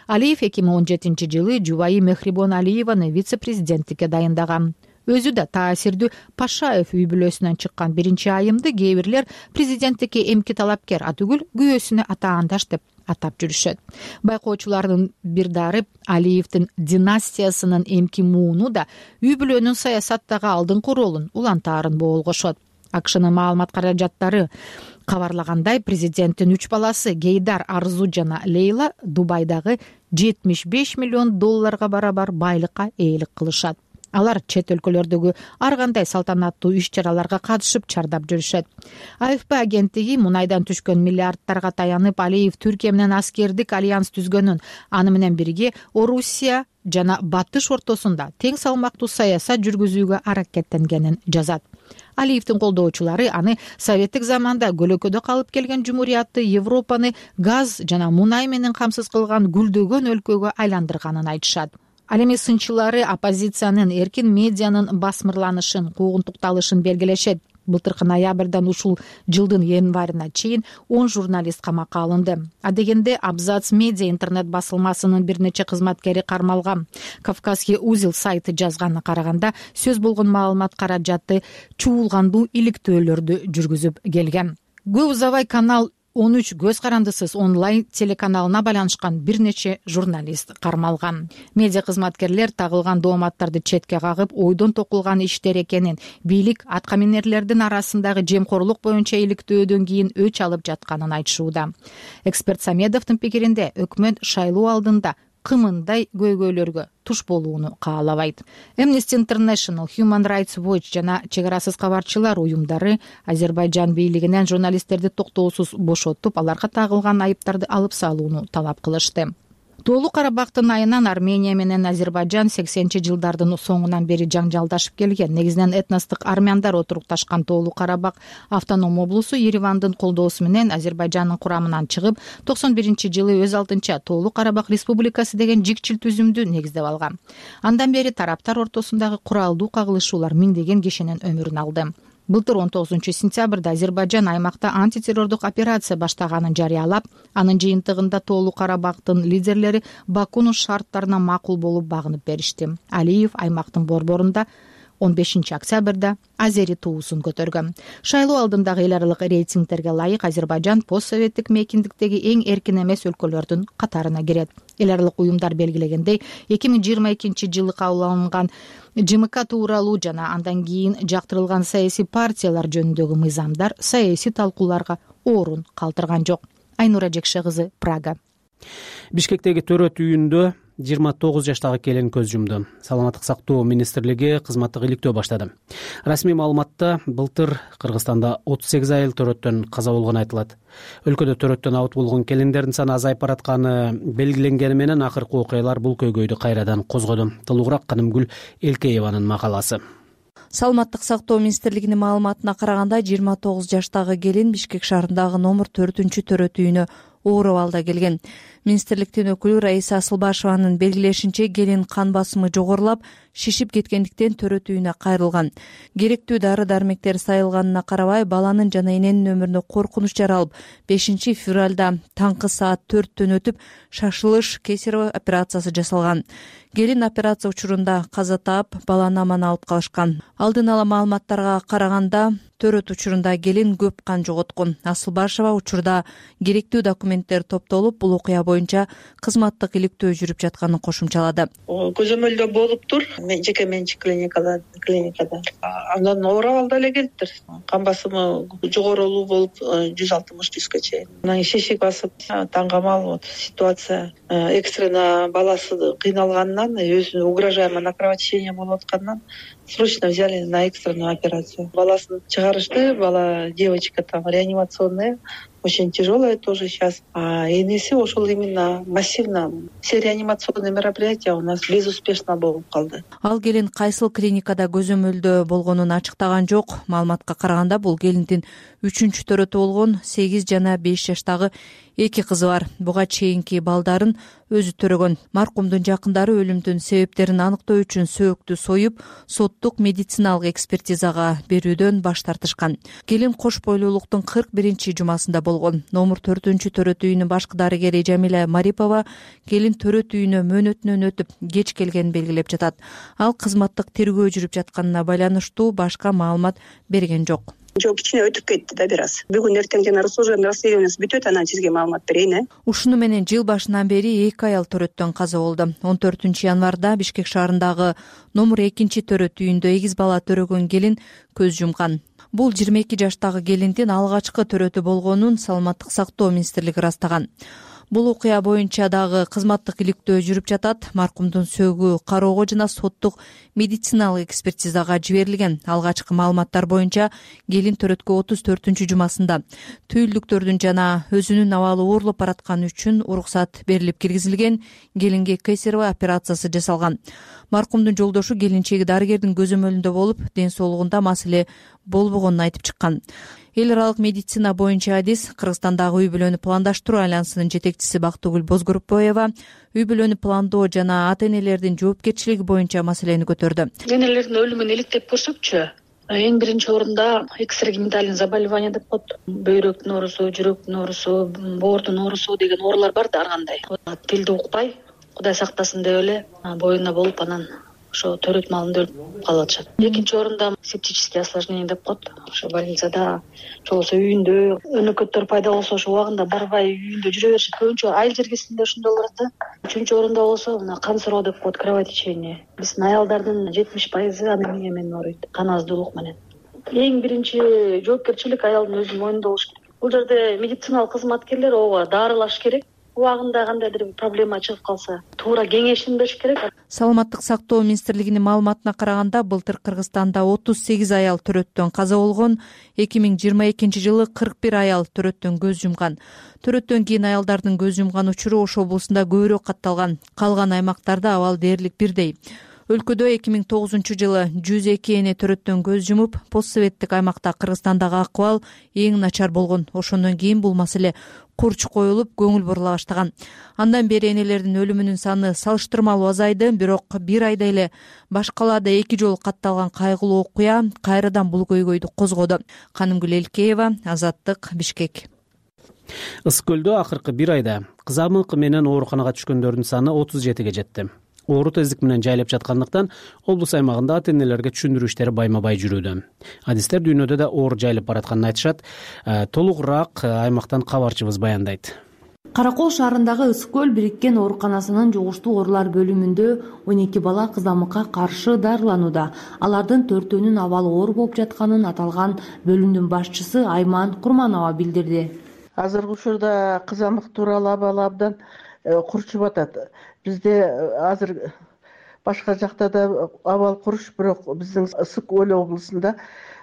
Алиев эки миң он жетинчи жылы жубайы Мехрибон Алиеваны вице-президенттикке дайындаган. Өзү да таасирдүү Пашаев үй бүлөсүнөн чыккан биринчи айымды кээ бирлер президенттикке эмки талапкер атүгүл күйөөсүнө атаандаш деп атап жүрүшөт. Байкоочулардын бир дары Алиевдин династиясынын эмки мууну да үй бүлөнүн саясаттагы алдыңкы ролун улантаарын боолгошот. АКШнын маалымат каражаттары кабарлагандай, президенттин үч баласы Гейдар, Арзу жана Лейла Дубайдагы жетимиш беш миллион долларга барабар байлыкка ээлик кылышат. Алар чет өлкөлөрдөгү ар кандай салтанаттуу иш-чараларга катышып чардап жүрүшөт. АФП агенттиги мунайдан түшкөн миллиардтарга таянып, Алиев Түркия менен аскердик альянс түзгөнүн, аны менен бирге Орусия жана Батыш ортосунда тең салмактуу саясат жүргүзүүгө аракеттенгенин жазат. Алиевдин колдоочулары аны советтик заманда көлөкөдө калып келген жумуриятты Европаны газ жана мунай менен камсыз кылган гүлдөгөн өлкөгө айландырганын айтышат. Ал эми сынчылары оппозициянын, эркин медианын басмырланышын, куугунтукталышын белгилешет. Былтыркы ноябрдан ушул жылдын январына чейин он журналист камакка алынды. Адегенде Абзац медиа интернет басылмасынын бир нече кызматкери кармалган. Кавказский узел сайты жазганына караганда, сөз болгон маалымат каражаты чуулгандуу иликтөөлөрдү жүргүзүп келген. Көп узабай канал он үч көз карандысыз онлайн телеканалына байланышкан бир нече журналист кармалган. Медиа кызматкерлер тагылган дооматтарды четке кагып, ойдон токулган иштер экенин, бийлик аткаминерлердин арасындагы жемкорлук боюнча иликтөөдөн кийин өч алып жатканын айтышууда. Эксперт Самедовдун пикиринде, өкмөт шайлоо алдында кымындай көйгөйлөргө туш болууну каалабайт. Amnesty International, Human Rights Watch жана Чек арасыз кабарчылар уюмдары Азербайжан бийлигинен журналисттерди токтоосуз бошотуп, аларга тагылган айыптарды алып салууну талап кылышты. Тоолуу Карабактын айынан Армения менен Азербайжан сексенинчи жылдардын соңунан бери жаңжалдашып келген. Негизинен этностук армяндар отурукташкан Тоолуу Карабак автоном облусу Еревандын колдоосу менен Азербайжандын курамынан чыгып, токсон биринчи жылы өз алдынча Тоолуу Карабак Республикасы деген жикчил түзүмдү негиздеп алган. Андан бери тараптар ортосундагы куралдуу кагылышуулар миңдеген кишинин өмүрүн алды. Былтыр он тогузунчу сентябрда Азербайжан аймакта антитеррордук операция баштаганын жарыялап, анын жыйынтыгында Тоолуу Карабактын лидерлери Бакунун шарттарына макул болуп багынып беришти. Алиев аймактын борборунда он бешинчи октябрда Азери туусун көтөргөн. Шайлоо алдындагы эл аралык рейтингтерге ылайык Азербайжан постсоветтик мейкиндиктеги эң эркин эмес өлкөлөрдүн катарына кирет. Эл аралык уюмдар белгилегендей, эки миң жыйырма экинчи жылы кабыл алынган ЖМК тууралуу жана андан кийин жактырылган саясий партиялар жөнүндөгү мыйзамдар саясий талкууларга орун калтырган жок. Айнура Жекше кызы, Прага. Бишкектеги төрөт үйүндө жыйырма тогуз жаштагы келин көз жумду. Саламаттык сактоо министрлиги кызматтык иликтөө баштады. Расмий маалыматта былтыр Кыргызстанда отуз сегиз айыл төрөттөн каза болгону айтылат. Өлкөдө төрөттөн абут болгон келиндердин саны азайып баратканы белгиленгени менен акыркы окуялар бул көйгөйдү кайрадан козгоду. Тылуураак Канымгүл Элкееванын макаласы. Саламаттык сактоо министрлигинин маалыматына караганда, жыйырма тогуз жаштагы келин Бишкек шаарындагы номер төртүнчү төрөт үйүнө оор абалда келген. Министрликтин өкүлү Раиса Асылбашеванын белгилешинче, келин кан басымы жогорулап, шишип кеткендиктен төрөт үйүнө кайрылган. Керектүү дары дармектер сайылганына карабай, баланын жана эненин өмүрүнө коркунуч жаралып, бешинчи февралда таңкы саат төрттөн өтүп, шашылыш кесарево операциясы жасалган. Келин операция учурунда каза таап, баланы аман алып калышкан. Алдын ала маалыматтарга караганда, төрөт учурунда келин көп кан жоготкон. Асылбашева учурда керектүү документтер топтолуп, бул окуя боюнча кызматтык иликтөө жүрүп жатканын кошумчалады. Көзөмөлдөө болуптур, жеке менчик клиникада, клиникада. Андан оор абалда эле келиптир. Кан басымы жогорулуу болуп, жүз алтымыш жүзгө чейин. Анан шишик басып, таң камал вот ситуация экстренно баласы кыйналганынан, өзүнө угрожаемое кровотечение болуп атканынан срочно взяли на экстренную операцию. Баласын чыгарышты, бала девочка там реанимационная, очень тяжелая тоже сейчас. А энеси ошол именно массивно все реанимационные мероприятия у нас безуспешно болуп калды. Ал келин кайсыл клиникада көзөмөлдө болгонун ачыктаган жок. Маалыматка караганда, бул келиндин үчүнчү төрөтү болгон сегиз жана беш жаштагы эки кызы бар. Буга чейинки балдарын өзү төрөгөн. Маркумдун жакындары өлүмдүн себептерин аныктоо үчүн сөөктү союп, соттук медициналык экспертизага берүүдөн баш тартышкан. Келин кош бойлуулуктун кырк биринчи жумасында болгон. Номер төртүнчү төрөт үйүнүн башкы дарыгери Жамиля Марипова келин төрөт үйүнө мөөнөтүнөн өтүп кеч келгенин белгилеп жатат. Ал кызматтык тергөө жүрүп жатканына байланыштуу башка маалымат берген жок. жок, кичине өтүп кетти да бир аз. Бүгүн эртең жана служебный расследованиясы бүтөт, анан сизге маалымат берейин. э Ушуну менен жыл башынан бери эки аял төрөттөн каза болду. он төртүнчү январда Бишкек шаарындагы номер экинчи төрөт үйүндө эгиз бала төрөгөн келин көз жумган. Бул жыйырма эки жаштагы келиндин алгачкы төрөтү болгонун Саламаттык сактоо министрлиги ырастаган. Бул окуя боюнча дагы кызматтык иликтөө жүрүп жатат. Маркумдун сөөгү кароого жана соттук медициналык экспертизага жиберилген. Алгачкы маалыматтар боюнча келин төрөткө отуз төртүнчү жумасында түйүлдүктөрдүн жана өзүнүн абалы оорлоп баратканы үчүн уруксат берилип киргизилген. Келинге кесарево операциясы жасалган. Маркумдун жолдошу келинчеги дарыгердин көзөмөлүндө болуп, ден соолугунда маселе болбогонун айтып чыккан. Эл аралык медицина боюнча адис Кыргызстандагы үй бүлөнү пландаштыруу альянсынын жетекчиси Бактыгүл Бозгорупбоева үй бүлөнү пландоо жана ата-энелердин жоопкерчилиги боюнча маселени көтөрдү. Энелердин өлүмүн иликтеп көрсөкчү, эң биринчи орунда экстрагенитальный заболевание деп коет. Бөйрөктүн оорусу, жүрөктүн оорусу, боордун оорусу деген оорулар бар да ар кандай. Тилди укпай, Кудай сактасын деп эле боюна болуп, анан ошо төрөт маалында өлүп калып атышат. Экинчи орунда септический осложнение деп коет. Ошо больницада, болбосо үйүндө өнөкөттөр пайда болсо ошо убагында барбай үйүндө жүрө беришет. Көбүнчө айыл жергесинде ошондой болот да. Үчүнчү орунда болсо мына кан суроо деп коет, кровотечение. Биздин аялдардын жетимиш пайызы анемия менен ооруйт, кан аздуулук менен. Эң биринчи жоопкерчилик аялдын өзүнүн мойнунда болуш керек. Бул жерде медициналык кызматкерлер ооба даарылаш керек. Убагында кандайдыр бир проблема чыгып калса, туура кеңешин бериш керек. Саламаттык сактоо министрлигинин маалыматына караганда, былтыр Кыргызстанда отуз сегиз аял төрөттөн каза болгон, эки миң жыйырма экинчи жылы кырк бир аял төрөттөн көз жумган. Төрөттөн кийин аялдардын көз жумган учуру Ош облусунда көбүрөөк катталган. Калган аймактарда абал дээрлик бирдей. Өлкөдө эки миң тогузунчу жылы жүз эки эне төрөттөн көз жумуп, постсоветтик аймакта Кыргызстандагы акыбал эң начар болгон. Ошондон кийин бул маселе курч коюлуп, көңүл бурула баштаган. Андан бери энелердин өлүмүнүн саны салыштырмалуу азайды, бирок бир айда эле баш калаада эки жолу катталган кайгылуу окуя кайрадан бул көйгөйдү козгоду. Канымгүл Элкеева, Азаттык, Бишкек. Ысык көлдө акыркы бир айда кызамык менен ооруканага түшкөндөрдүн саны отуз жетиге жетти. Оору тездик менен жайлап жаткандыктан облус аймагында ата-энелерге түшүндүрүү иштери байма-бай жүрүүдө. Адистер дүйнөдө да оору жайлап баратканын айтышат. Толугураак аймактан кабарчыбыз баяндайт. Каракол шаарындагы Ысык көл бириккен ооруканасынын жугуштуу оорулар бөлүмүндө он эки бала кызамыкка каршы дарыланууда. Алардын төртөөнүн абалы оор болуп жатканын аталган бөлүмдүн башчысы Айман Курманова билдирди. Азыркы учурда кызамык тууралуу абалы абдан курчуп атат. Бизде азыр башка жакта да абал куруш, бирок биздин Ысык көл облусунда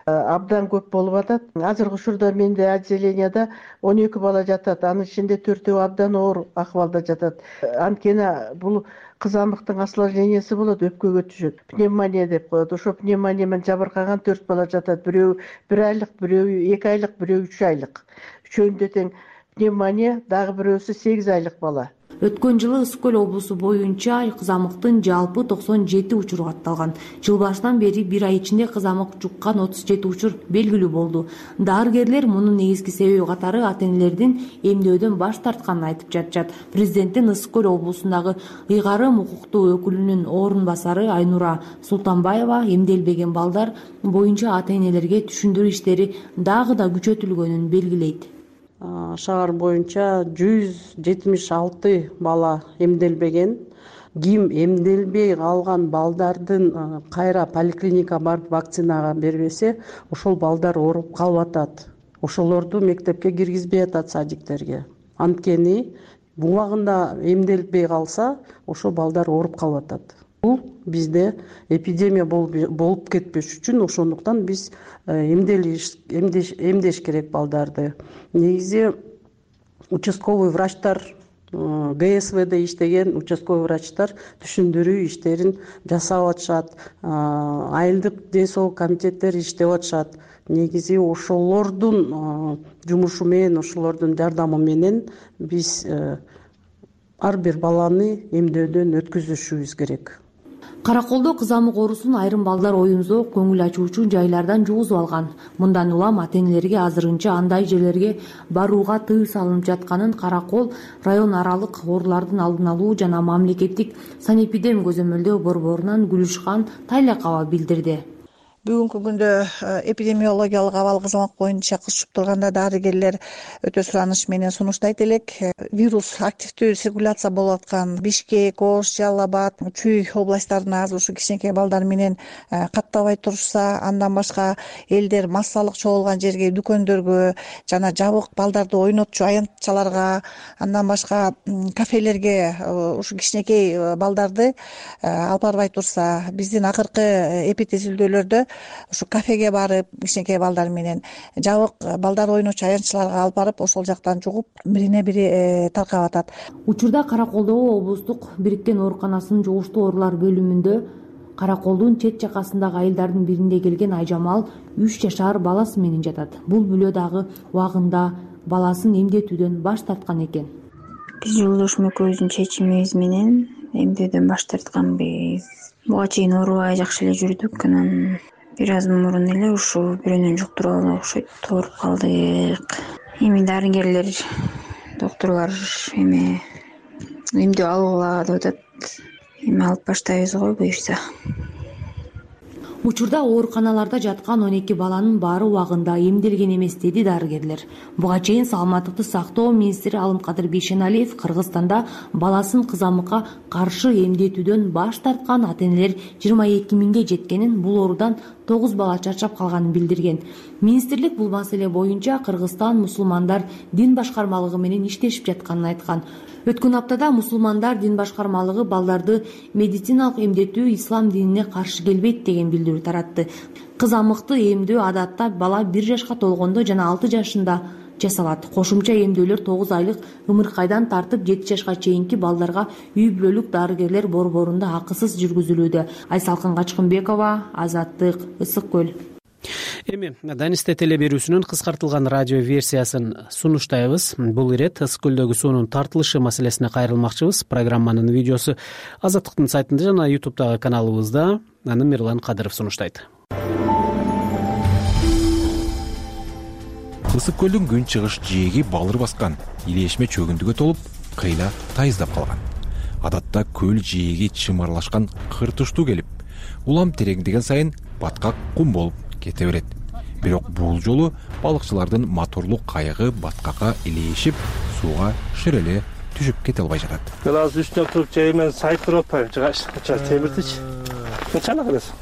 абдан көп болуп атат. Азыркы учурда менде отделенияда он эки бала жатат, анын ичинде төртөө абдан оор акыбалда жатат. Анткени бул кызамыктын осложнениясы болот, өпкөгө түшөт. Пневмония деп коет. Ошо пневмония менен жабыркаган төрт бала жатат. Бирөө бир айлык, бирөө эки айлык, бирөө үч айлык. Үчөөндө тең пневмония, дагы бирөөсү сегиз айлык бала. Өткөн жылы Ысык көл облусу боюнча кызамыктын жалпы токсон жети учуру катталган. Жыл башынан бери бир ай ичинде кызамык жуккан отуз жети учур белгилүү болду. Дарыгерлер мунун негизги себеби катары ата-энелердин эмдөөдөн баш тартканын айтып жатышат. Президенттин Ысык көл облусундагы ыйгарым укуктуу өкүлүнүн орун басары Айнура Султанбаева эмделбеген балдар боюнча ата-энелерге түшүндүрүү иштери дагы да күчөтүлгөнүн белгилейт. Шаар боюнча жүз жетимиш алты бала эмделбеген. Ким эмделбей калган балдардын кайра поликлиникага барып вакцинага бербесе, ошол балдар ооруп калып атат. Ошолорду мектепке киргизбей атат, садиктерге. Анткени убагында эмделбей калса, ошол балдар ооруп калып атат. Бул бизде эпидемия болуп кетпеш үчүн ошондуктан биз эмделиш эмдеш керек балдарды. Негизи участковый врачтар, ГСВде иштеген участковый врачтар түшүндүрүү иштерин жасап атышат. Айылдык ден соолук комитеттер иштеп атышат. Негизи ошолордун жумушу менен, ошолордун жардамы менен биз ар бир баланы эмдөөдөн өткүзүшүбүз керек. Караколдо кызамык оорусун айрым балдар оюн-зоок, көңүл ачуучу жайлардан жугузуп алган. Мындан улам ата-энелерге азырынча андай жерлерге барууга тыюу салынып жатканын Каракол район аралык оорулардын алдын алуу жана мамлекеттик санэпидем көзөмөлдөө борборунан Гүлүшкан Тайлакова билдирди. бүгүнкү күндө эпидемиологиялык абал кызмат боюнча кыз чуп турганда дарыгерлер өтө сураныч менен сунуштайт элек. Вирус активдүү циркуляция болуп аткан Бишкек, Ош, Жалал Абад, Чүй областтарына азыр ушу кичинекей балдар менен каттабай турушса, андан башка элдер массалык чогулган жерге, дүкөндөргө жана жабык балдарды ойнотчу аянтчаларга, андан башка кафелерге ушу кичинекей балдарды алып барбай турса, биздин акыркы эпитезилдөөлөрдө ушу кафеге барып кичинекей балдар менен жабык балдар ойночу аянтчаларга алып барып ошол жактан жугуп бирине бири таркап атат. Учурда Караколдогу облустук бириккен ооруканасынын жугуштуу оорулар бөлүмүндө Караколдун чет жакасындагы айылдардын биринде келген Айжамал үч жашар баласы менен жатат. Бул бүлө дагы убагында баласын эмдетүүдөн баш тарткан экен. Биз жолдошум экөөбүздүн чечимибиз менен эмдөөдөн баш тартканбыз. Буга чейин оорубай жакшы эле жүрдүк. Анан бир аз мурун эле ушул бирөөнөн жуктуруп алган окшойт, ооруп калдык. Эми дарыгерлер, доктурлар эми эмдөө алгыла деп атат. Эми алып баштайбыз го буюрса. Учурда ооруканаларда жаткан он эки баланын баары убагында эмделген эмес, деди дарыгерлер. Буга чейин Саламаттыкты сактоо министри Алымкадыр Бейшеналиев Кыргызстанда баласын кызамыкка каршы эмдетүүдөн баш тарткан ата-энелер жыйырма эки миңге жеткенин, бул оорудан тогуз бала чарчап калганын билдирген. Министрлик бул маселе боюнча Кыргызстан мусулмандар дин башкармалыгы менен иштешип жатканын айткан. Өткөн аптада мусулмандар дин башкармалыгы балдарды медициналык эмдетүү ислам динине каршы келбейт деген билдирүү таратты. Кызамыкты эмдөө адатта бала бир жашка толгондо жана алты жашында жасалат. Кошумча эмдөөлөр тогуз айлык ымыркайдан тартып жети жашка чейинки балдарга үй бүлөлүк дарыгерлер борборунда акысыз жүргүзүлүүдө. Айсалкын Качкынбекова, Азаттык, Ысык көл. Эми Данисте теле берүүсүнүн кыскартылган радио версиясын сунуштайбыз. Бул ирет Ысык көлдөгү суунун тартылышы маселесине кайрылмакчыбыз. Программанын видеосу Азаттыктын сайтында жана ютубтагы каналыбызда. Аны Мирлан Кадыров сунуштайт. Ысык көлдүн күн чыгыш жээги балыр баскан, илешме чөгүндүгө толуп, кыйла тайыздап калган. Адатта көл жээги чымарлашкан кыр туштуу келип, улам тереңдеген сайын баткак кум болуп кете берет. Бирок бул жолу балыкчылардын моторлук кайыгы баткакка илешип, сууга ширеле түшүп кете албай жатат. Мен азыр үстүнө туруп жай мен сайып туруп атпайм, жыгачка темиртичи. Качана келесиң?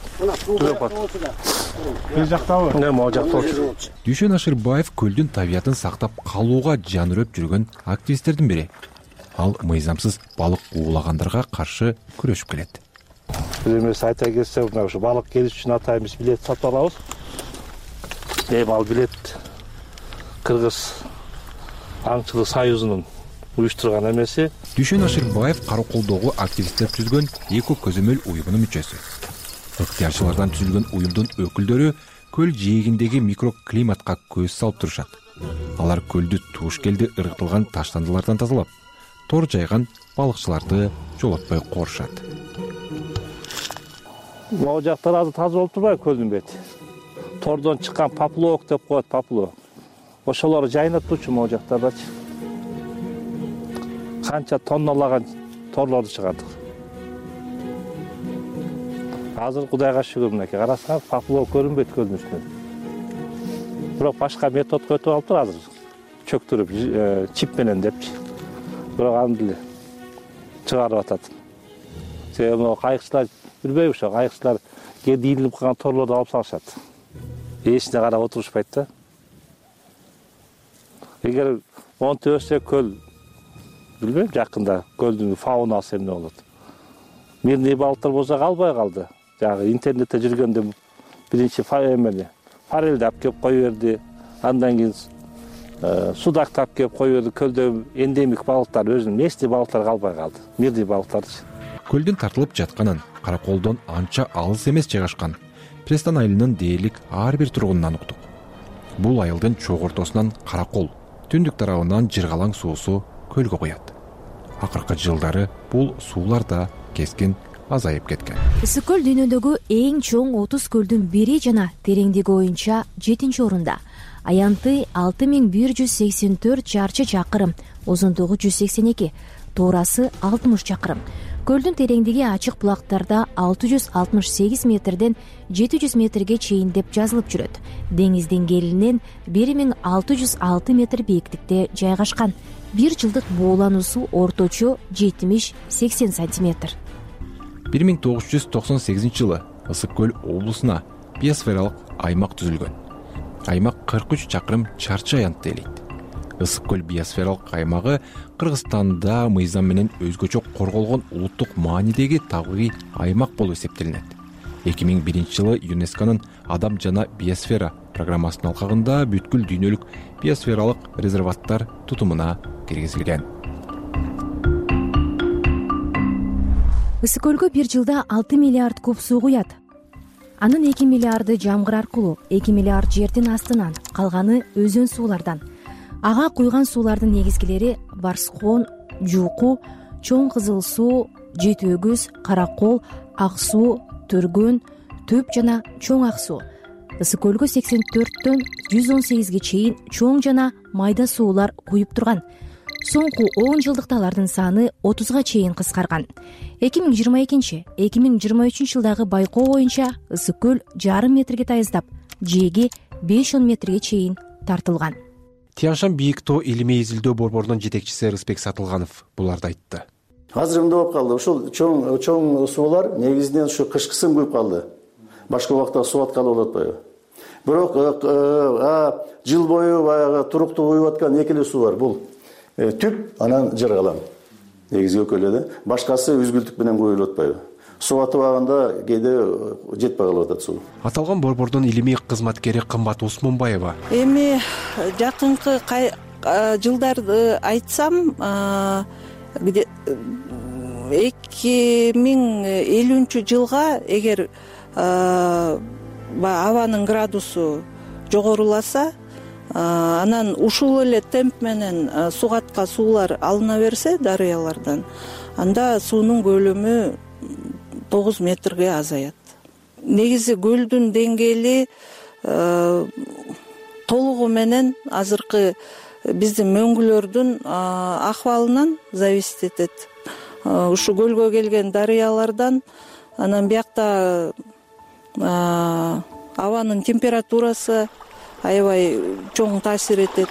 Бир жактабы? Не, могу жакта болчу. Дүйшөн Ашырбаев көлдүн табиятын сактап калууга жан үрөп жүргөн активисттердин бири. Ал мыйзамсыз балык уулагандарга каршы күрөшүп келет. Эмес айта келсе, мына ушу балык келиш үчүн атайбыз билет сатып алабыз. Эми ал билет Кыргыз аңчылык союзунун уюштурган эмеси. Дүйшөн Ашырбаев Караколдогу активисттер түзгөн эко көзөмөл уюмунун мүчөсү. Ыктыярчылардан түзүлгөн уюмдун өкүлдөрү көл жээгиндеги микроклиматка көз салып турушат. Алар көлдү туушкелди ыргытылган таштандылардан тазалап, тор жайган балыкчыларды жолотпой корушат. Могу жактар азыр таза болуп турбайбы көлдүн бети? Тордон чыккан поплавок деп коет, поплавок. Ошолор жайнап турчу могу жактардачы. Канча тонналаган торлорду чыгардык. Азыр Кудайга шүгүр, мынакей карасаңыз, поплавок көрүнбөйт көлдүн үстүнөн. Бирок башка методго өтүп алыптыр азыр. Чөктүрүп, чип менен депчи. Бирок аны деле чыгарып атат. Себеби могу кайыкчылар билбейби, ошо кайыкчылар кээде ийилип калган торлорду алып салышат. Эчине карап отурушпайт да. Эгер монтип өссө көл, билбейм, жакында көлдүн фаунасы эмне болот. Мирный балыктар болсо калбай калды. Жагы интернетте жүргөндө биринчи эмени форельди алып келип кое берди. Андан кийин судакты алып келип кое берди. Көлдө эндемик балыктар, өзүнүн местный балыктар калбай калды. Мирный балыктарды. Көлдүн тартылып жатканын Караколдон анча алыс эмес жайгашкан Престан айылынын дээрлик ар бир тургунунан уктук. Бул айылдын чогортосунан Каракол, түндүк тарабынан жыргалаң суусу көлгө куят. Акыркы жылдары бул суулар да кескин азайып кеткен. Ысык көл дүйнөдөгү эң чоң отуз көлдүн бири жана тереңдиги боюнча жетинчи орунда. Аянты алты миң бир жүз сексен төрт чарчы чакырым, узундугу жүз сексен эки, туурасы алтымыш чакырым. көлдүн тереңдиги ачык булактарда алты жүз алтымыш сегиз метрден жети жүз метрге чейин деп жазылып жүрөт. Деңиз деңгээлинен бир миң алты жүз алты метр бийиктикте жайгашкан. Бир жылдык буулануусу орточо жетимиш сексен сантиметр. бир миң тогуз жүз токсон сегизинчи жылы Ысык көл облусуна биосфералык аймак түзүлгөн. Аймак кырк үч чакырым чарчы аянтты ээлейт. Ысык көл биосфералык аймагы Кыргызстанда мыйзам менен өзгөчө корголгон улуттук маанидеги табигый аймак болуп эсептелинет. эки миң биринчи жылы ЮНЕСКОнун Адам жана биосфера программасынын алкагында бүткүл дүйнөлүк биосфералык резерваттар тутумуна киргизилген. Ысык көлгө бир жылда алты миллиард куб суу куят. Анын эки миллиарды жамгыр аркылуу, эки миллиард жердин астынан, калганы өзөн суулардан. Ага куйган суулардын негизгилери Барскон, Жууку, Чоң Кызыл суу, Жети өгүз, Каракол, Ак суу, Төргөн, Төп жана Чоң Ак суу. Ысык көлгө сексен төрттөн жүз он сегизге чейин чоң жана майда суулар куюп турган. Соңку он жылдыкта алардын саны отузга чейин кыскарган. эки миң жыйырма экинчи — эки миң жыйырма үчүнчү жылдагы байкоо боюнча ысык көл жарым метрге тайыздап, жээги беш он метрге чейин тартылган. Тянь-Шань бийик тоо илимий изилдөө борборунун жетекчиси Рысбек Сатылганов буларды айтты. Азыр эмне болуп калды? Ушул чоң чоң суулар негизинен ушу кышкысын куюп калды. Башка убакта суу аткалы болуп атпайбы? Бирок жыл бою баягы туруктуу куюп аткан эки эле суу бар. Бул түп, анан Жыргалам. Негизги экөө эле да. Башкасы үзгүлтүк менен куюлуп атпайбы? Суу атыбаганда кээде жетпей калып атат суу. Аталган борбордун илимий кызматкери Кымбат Усмунбаева. Эми жакынкы жылдарды айтсам, где эки миң элүүнчү жылга эгер абанын градусу жогоруласа, анан ушул эле темп менен сугатка суулар алына берсе дарыялардан, анда суунун көлөмү тогуз метрге азаят. Негизи көлдүн деңгээли толугу менен азыркы биздин мөңгүлөрдүн акыбалынан зависит этет. Ушу көлгө келген дарыялардан, анан биякта абанын температурасы аябай чоң таасир этет.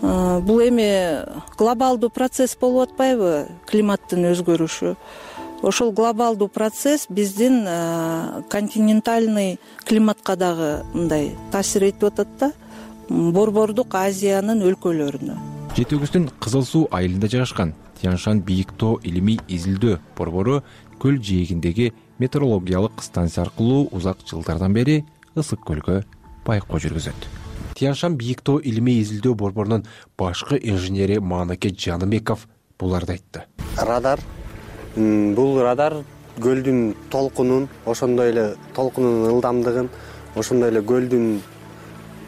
Бул эми глобалдуу процесс болуп атпайбы, климаттын өзгөрүшү. Ошол глобалдуу процесс биздин континентальный климатка дагы мындай таасир этип атат да, Борбордук Азиянын өлкөлөрүнө. Жети өгүздүн Кызыл суу айылында жайгашкан Тянь-Шань бийик тоо илимий изилдөө борбору көл жээгиндеги метеорологиялык станция аркылуу узак жылдардан бери ысык көлгө байкоо жүргүзөт. Тянь-Шань бийик тоо илимий изилдөө борборунун башкы инженери Маанаке Жаныбеков буларды айтты. Радар, бул радар көлдүн толкунун, ошондой эле толкунунун ылдамдыгын, ошондой эле көлдүн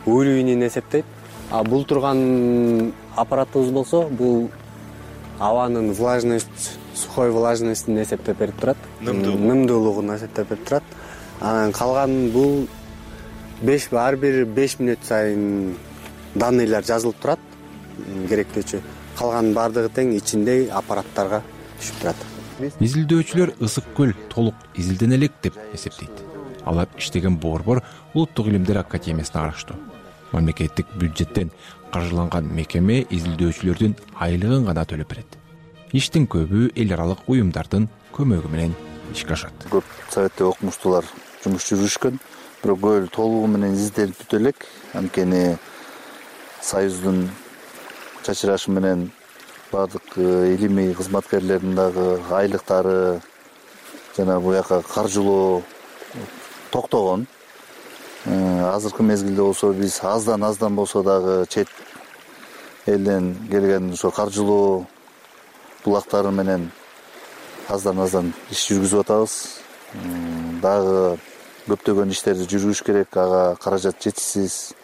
өйлүгүн эсептейт. А бул турган аппаратыбыз болсо, бул абанын влажность, сухой влажностун эсептеп берип турат, нымдуулугун эсептеп берип турат. Анан калган бул беш ар бир беш мүнөт сайын данныйлар жазылып турат, керектүүчү. Калган бардыгы тең ичинде аппараттарга түшүп турат. Изилдөөчүлөр ысык көл толук изилдене элек деп эсептейт. Алар иштеген борбор Улуттук илимдер академиясына караштуу. Мамлекеттик бюджеттен каржыланган мекеме изилдөөчүлөрдүн айлыгын гана төлөп берет. Иштин көбү эл аралык уюмдардын көмөгү менен ишке ашат. Көп советтик окумуштуулар жумуш жүргүзүшкөн, бирок көл толугу менен изилденип бүтө элек. Анткени Союздун чачырашы менен бардык илимий кызматкерлердин дагы айлыктары жана буяка каржылоо токтогон. Азыркы мезгилде болсо биз аздан аздан болсо дагы чет элден келген ошо каржылоо булактары менен аздан аздан иш жүргүзүп атабыз. Дагы көптөгөн иштерди жүргүзүш керек, ага каражат жетишсиз.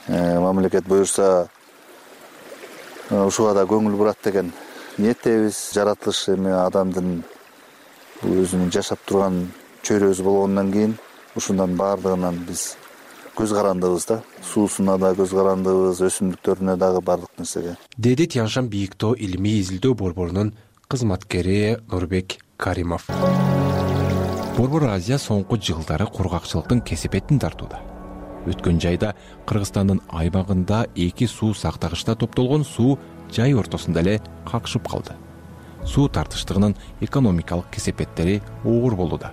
Мамлекет буюрса ушуга да көңүл бурат деген ниеттебиз. Жаратылыш эми адамдын өзүнүн жашап турган чөйрөсү болгондон кийин ушундан баардыгынан биз көз карандыбыз да. Суусуна да көз карандыбыз, өсүмдүктөрүнө дагы бардык нерсеге. Деди Тянь-Шань бийик тоо илимий изилдөө борборунун кызматкери Нурбек Каримов. Борбор Азия соңку жылдары кургакчылыктын кесепетин тартууда. Өткөн жайда Кыргызстандын аймагында эки суу сактагычта топтолгон суу жай ортосунда эле какшып калды. Суу тартыштыгынын экономикалык кесепеттери оор болууда.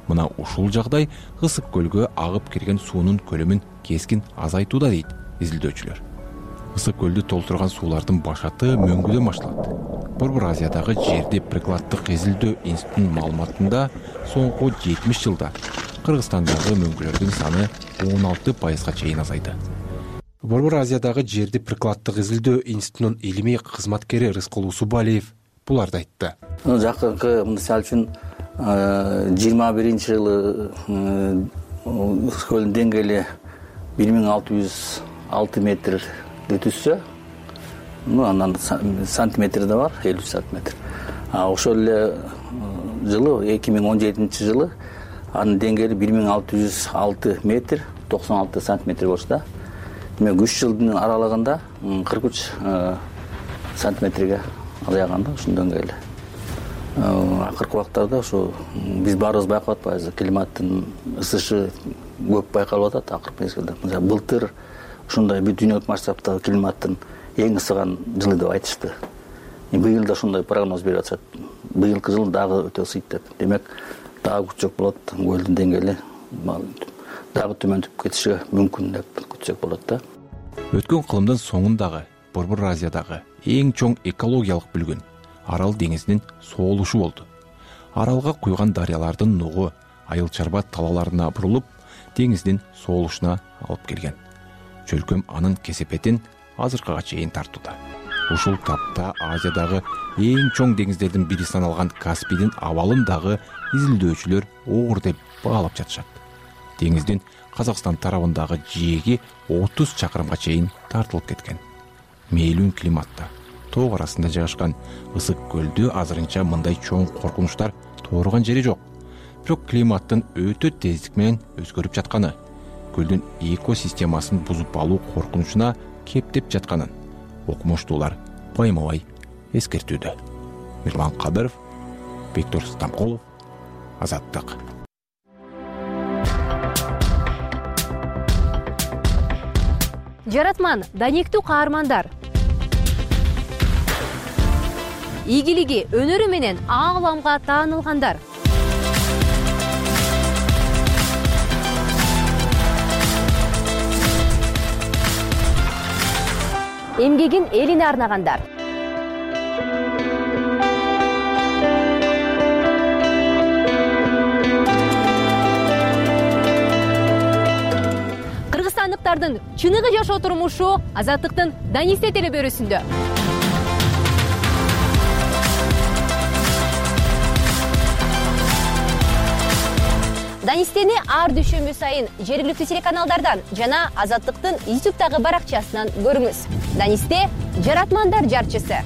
Мына ушул жагдай Ысык көлгө агып кирген суунун көлөмүн кескин азайтууда дейт изилдөөчүлөр. Ысык көлдү толтурган суулардын башаты мөңгүдөн башталат. Борбор Азиядагы жерди прикладдык изилдөө институтунун маалыматында соңку жетимиш жылда Кыргызстандагы мөңгүлөрдүн саны он алты пайызга чейин азайды. Борбор Азиядагы жерди прикладдык изилдөө институтунун илимий кызматкери Рыскул Усубалиев буларды айтты. Жакынкы мисалы үчүн жыйырма биринчи жылы Ысык көлдүн деңгээли бир миң алты жүз алты метрди түзсө, ну андан сантиметр да бар, элүү сантиметр. А ошол эле жылы эки миң он жетинчи жылы анын деңгээли бир миң алты жүз алты метр токсон алты сантиметр болчу да. Демек үч жылдын аралыгында кырк үч сантиметрге азайган да ушунун деңгээли. Акыркы убактарда ушу биз баарыбыз байкап атпайбызбы, климаттын ысышы көп байкалып атат акыркы мезгилде. Мисалы былтыр ушундай бир дүйнөлүк масштабтагы климаттын эң ысыган жылы деп айтышты. Быйыл да ушундай прогноз берип атышат. Быйылкы жыл дагы өтө ысыйт деп. Демек дагы күчөк болот, көлдүн деңгээли дагы төмөндөп кетиши мүмкүн деп күтсөк болот да. Өткөн кылымдын соңундагы Борбор Азиядагы эң чоң экологиялык бүлгүн Арал деңизинин соолушу болду. Аралга куйган дарыялардын нугу айыл чарба талаларына бурулуп, деңиздин соолушуна алып келген. Чөлкөм анын кесепетин азыркыга чейин тартууда. Ушул тапта Азиядагы эң чоң деңиздердин бири саналган Каспийдин абалын дагы изилдөөчүлөр оор деп баалап жатышат. Деңиздин Казакстан тарабындагы жээги отуз чакырымга чейин тартылып кеткен. Мейлүүн климатта тоо арасында жайгашкан Ысык көлдү азырынча мындай чоң коркунучтар тооргон жери жок. Бирок климаттын өтө тездик менен өзгөрүп жатканы, көлдүн экосистемасын бузуп алуу коркунучуна кептеп жатканын окумуштуулар байма-бай эскертүүдө. Мирлан Кадыров, Бектур Стамкулов, Азаттык. Жаратман данектүү каармандар. Ийгилиги, өнөрү менен ааламга таанылгандар. Эмгегин элине арнагандар. Кыргызстандыктардын чыныгы жашоо турмушу Азаттыктын Данисте телебөрүсүндө. Данистени ар дүйшөмбү сайын жергиликтүү телеканалдардан жана Азаттыктын ютубтагы баракчасынан көрүңүз. Данисте — жаратмандар жарчысы.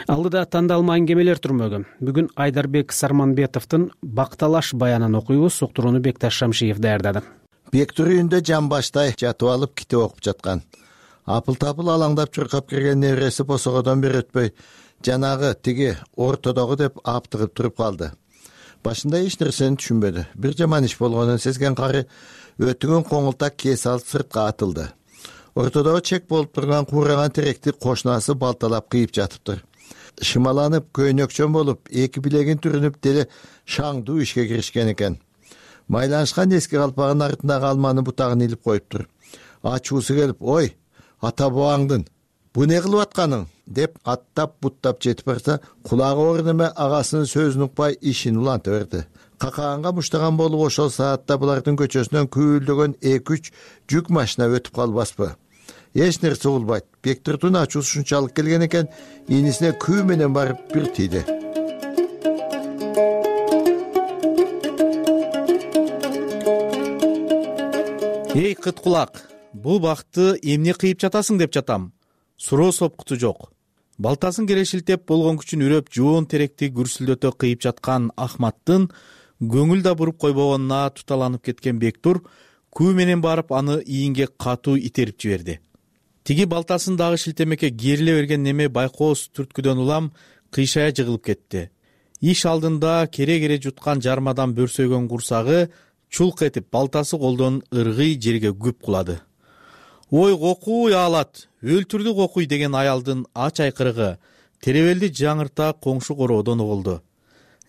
Алдыда тандалма аңгемелер турмөгү. Бүгүн Айдарбек Сарманбетовдун Бакталаш баянын окуйбуз. Уктурууну Бекташ Шамшиев даярдады. Бектур үйүндө жамбаштай жатып алып китеп окуп жаткан. Апыл-тапыл алаңдап чуркап кирген небереси босогодон бери өтпөй, жанагы тиги ортодогу деп аптыгып туруп калды. Башында эч нерсени түшүнбөдү. Бир жаман иш болгонун сезген кары өтүнгөн коңултак кээс алып сыртка атылды. Ортодогу чек болуп турган куураган теректи кошунасы балталап кыйып жатыптыр. Шымаланып, көйнөкчөн болуп, эки билегин түрүнүп деле шаңдуу ишке киришкен экен. Майланышкан эски калпагынын артындагы алманын бутагын илип коюптур. Ачуусу келип, ой, ата бабаңдын бу не кылып атканың деп аттап буттап жетип барса, кулагы оор неме агасынын сөзүн укпай ишин уланта берди. Какаганга муштаган болуп ошол саатта булардын көчөсүнөн күйлдөгөн эки үч жүк машина өтүп калбаспы. Эч нерсе угулбайт. Бектурдун ачуусу ушунчалык келген экен, инисине күү менен барып бир тийди. Эй кыт кулак, бул бакты эмне кыйып жатасың деп жатам. Суроо сопкуту жок. Балтасын келе шилтеп болгон күчүн үрөп жоон теректи күрсүлдөтө кыйып жаткан Ахматтын көңүл да буруп койбогонуна туталанып кеткен Бектур күү менен барып аны ийинге катуу итерип жиберди. тиги балтасын дагы шилтемекке кериле берген неме байкоос түрткүдөн улам кыйшая жыгылып кетти. Иш алдында кере-кере жуткан жармадан бөрсөйгөн курсагы чулк этип балтасы колдон ыргый жерге күп кулады. Ой кокуй аалат, өлтүрдү кокуй деген аялдын ач айкырыгы теребелди жаңырта коңшу короодон угулду.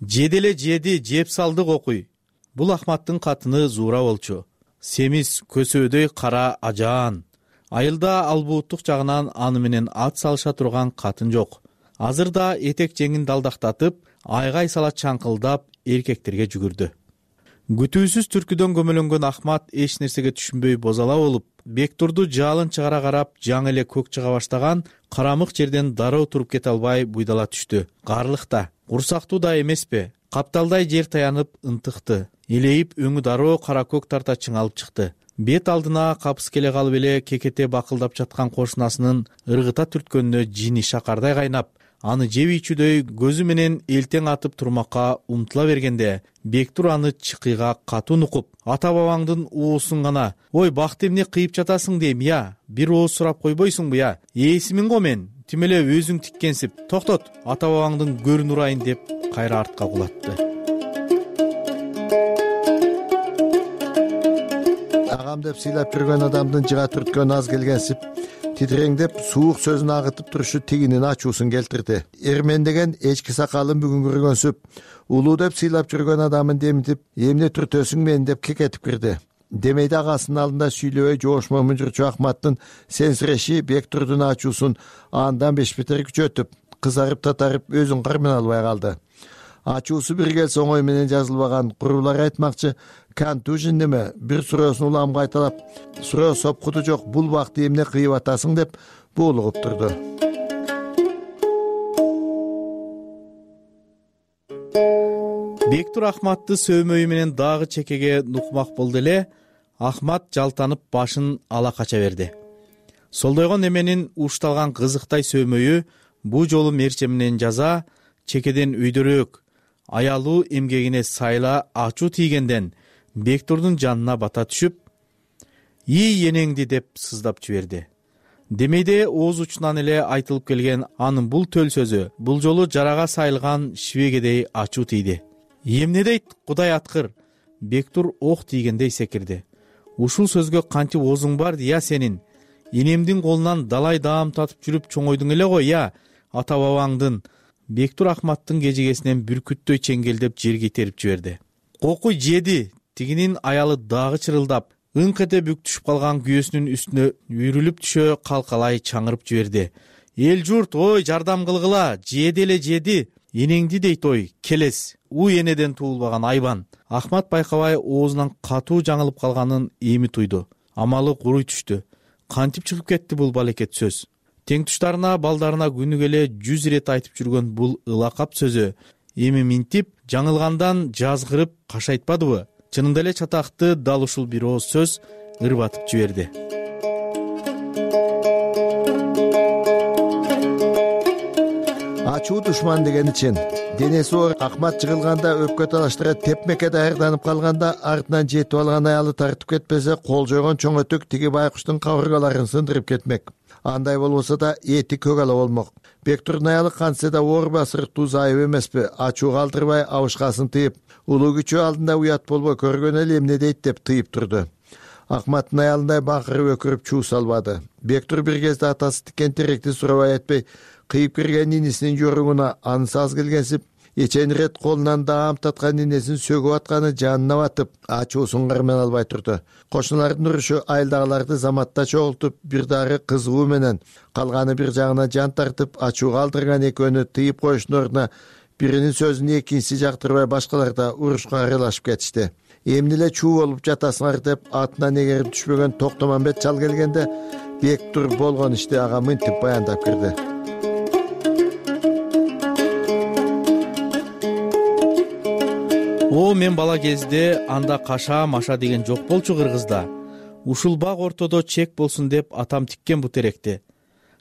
Жеделе жеди, жеп салды кокуй. Бул Ахматтын катыны Зуура болчу. Семиз көсөөдөй кара ажаан. Айылда албууттук жагынан аны менен ат салыша турган катын жок. Азыр да этек жеңин далдактатып, айгай сала чаңкылдап эркектерге жүгүрдү. Күтүүсүз түркүдөн көмөлөнгөн Ахмат эч нерсеге түшүнбөй бозала болуп, Бектурду жалын чыгара карап, жаңы эле көк чыга баштаган карамык жерден дароо туруп кете албай буйдала түштү. Карлыкта, курсактуу да эмеспи? Капталдай жер таянып ынтыкты. Элейип өңү дароо кара көк тарта чыңалып чыкты. Бет алдына капыс келе калып эле кекете бакылдап жаткан кошунасынын ыргыта түрткөнүнө жини шакардай кайнап, аны жеп ичүүдөй көзү менен элтең атып турмакка умтула бергенде, Бектур аны чыкыйга катуу нукуп, ата бабаңдын уусун гана, ой бакты эмне кыйып жатасың дейм я, бир ооз сурап койбойсуңбу я, ээсимин го мен, тим эле өзүң тиккенсип, токтот, ата бабаңдын көрүн урайын деп кайра артка кулатты. Агам деп сыйлап жүргөн адамдын жыга түрткөн аз келгенсип, титиреңдеп суук сөзүн агытып турушу тигинин ачуусун келтирди. Эрмен деген эчки сакалын бүгүн көргөнсүп, улуу деп сыйлап жүргөн адамын демитип, эмне түртөсүң мен деп кекетип кирди. Демейде агасынын алдында сүйлөбөй жоошмо мүнжүрчү Ахматтын сенсиреши Бектурдун ачуусун андан беш бетер күчөтүп, кызарып татарып өзүн кармана албай калды. Ачуусу бир келсе оңой менен жазылбаган курулар айтмакчы, Кантужин неме бир суроосун улам кайталап, суроо сопкуту жок, бул бакты эмне кыйып атасың деп буулугуп турду. Бектур Ахматты сөөмөйү менен дагы чекеге нукмак болду эле, Ахмат жалтанып башын ала кача берди. Солдойгон неменин ушталган кызыктай сөөмөйү бу жолу мерчеминен жаза, чекеден өйдөрөөк, аялуу эмгегине сайла ачуу тийгенден Бектурдун жанына бата түшүп, «И энеңди» деп сыздап жиберди. Демейде ооз учунан эле айтылып келген анын бул төл сөзү бул жолу жарага сайылган шивегедей ачуу тийди. «Эмне дейт, Кудай аткыр?» Бектур ок тийгендей секирди. «Ушул сөзгө кантип оозуң бар я сенин? Энемдин колунан далай даам татып жүрүп чоңойдуң эле го я, ата бабаңдын?» Бектур Ахматтын кежегесинен бүркүттөй чеңгелдеп жерге итерип жиберди. «Кокуй жеди!» Тигинин аялы дагы чырылдап, ыңк эте бүк түшүп калган күйөөсүнүн үстүнө үйрүлүп түшө калкалай чаңырып жиберди. «Эл журт, ой, жардам кылгыла, жеди эле жеди, энеңди дейт ой, келес, у энеден туулбаган айбан». Ахмат байкабай оозунан катуу жаңылып калганын эми туйду. Амалы куруй түштү. Кантип чыгып кетти бул балекет сөз? Тең туштарына, балдарына күнүгө эле жүз ирет айтып жүргөн бул ылакап сөзү эми минтип, жаңылгандан жазгырып кашайтпадыбы? Чынында эле чатакты дал ушул бир ооз сөз ырбатып жиберди. Ачуу душман дегени чын. Денеси оор Ахмат жыгылганда өпкө талаштыра тепмекке даярданып калганда, артынан жетип алган аялы тартып кетпесе, кол жойгон чоң өтүк тиги байкуштун кабыргаларын сындырып кетмек. Андай болбосо да эти көк ала болмок. Бектурдун аялы кантсе да оор басырыктуу зайып эмеспи, ачуу калтырбай абышкасын тыйып, улуу күчү алдында уят болбой көргөн эле эмне дейт деп тыйып турду. Ахматтын аялындай бакырып өкүрүп чуу салбады. Бектур бир кезде атасы тиккен теректи сурабай этпей, кыйып кирген нинисинин жоругуна анысы аз келгенсип, эчен ирет колунан даам таткан нинесин сөгүп атканы жанына батып, ачуусун кармана албай турду. Кошуналардын урушу айылдагыларды заматта чогултуп, бир дары кызыгуу менен, калганы бир жагына жан тартып, ачуу калтырган экөөнү тыйып коюштун ордуна биринин сөзүн экинчиси жактырбай башкалар да урушка аралашып кетишти. Эмне эле чуу болуп жатасыңар деп атынан эгерип түшпөгөн Токтомамбет чал келгенде, Бектур болгон ишти ага мынтип баяндап кирди. О, мен бала кезде анда каша маша деген жок болчу Кыргызда. Ушул бак ортодо чек болсун деп атам тиккен бу теректи.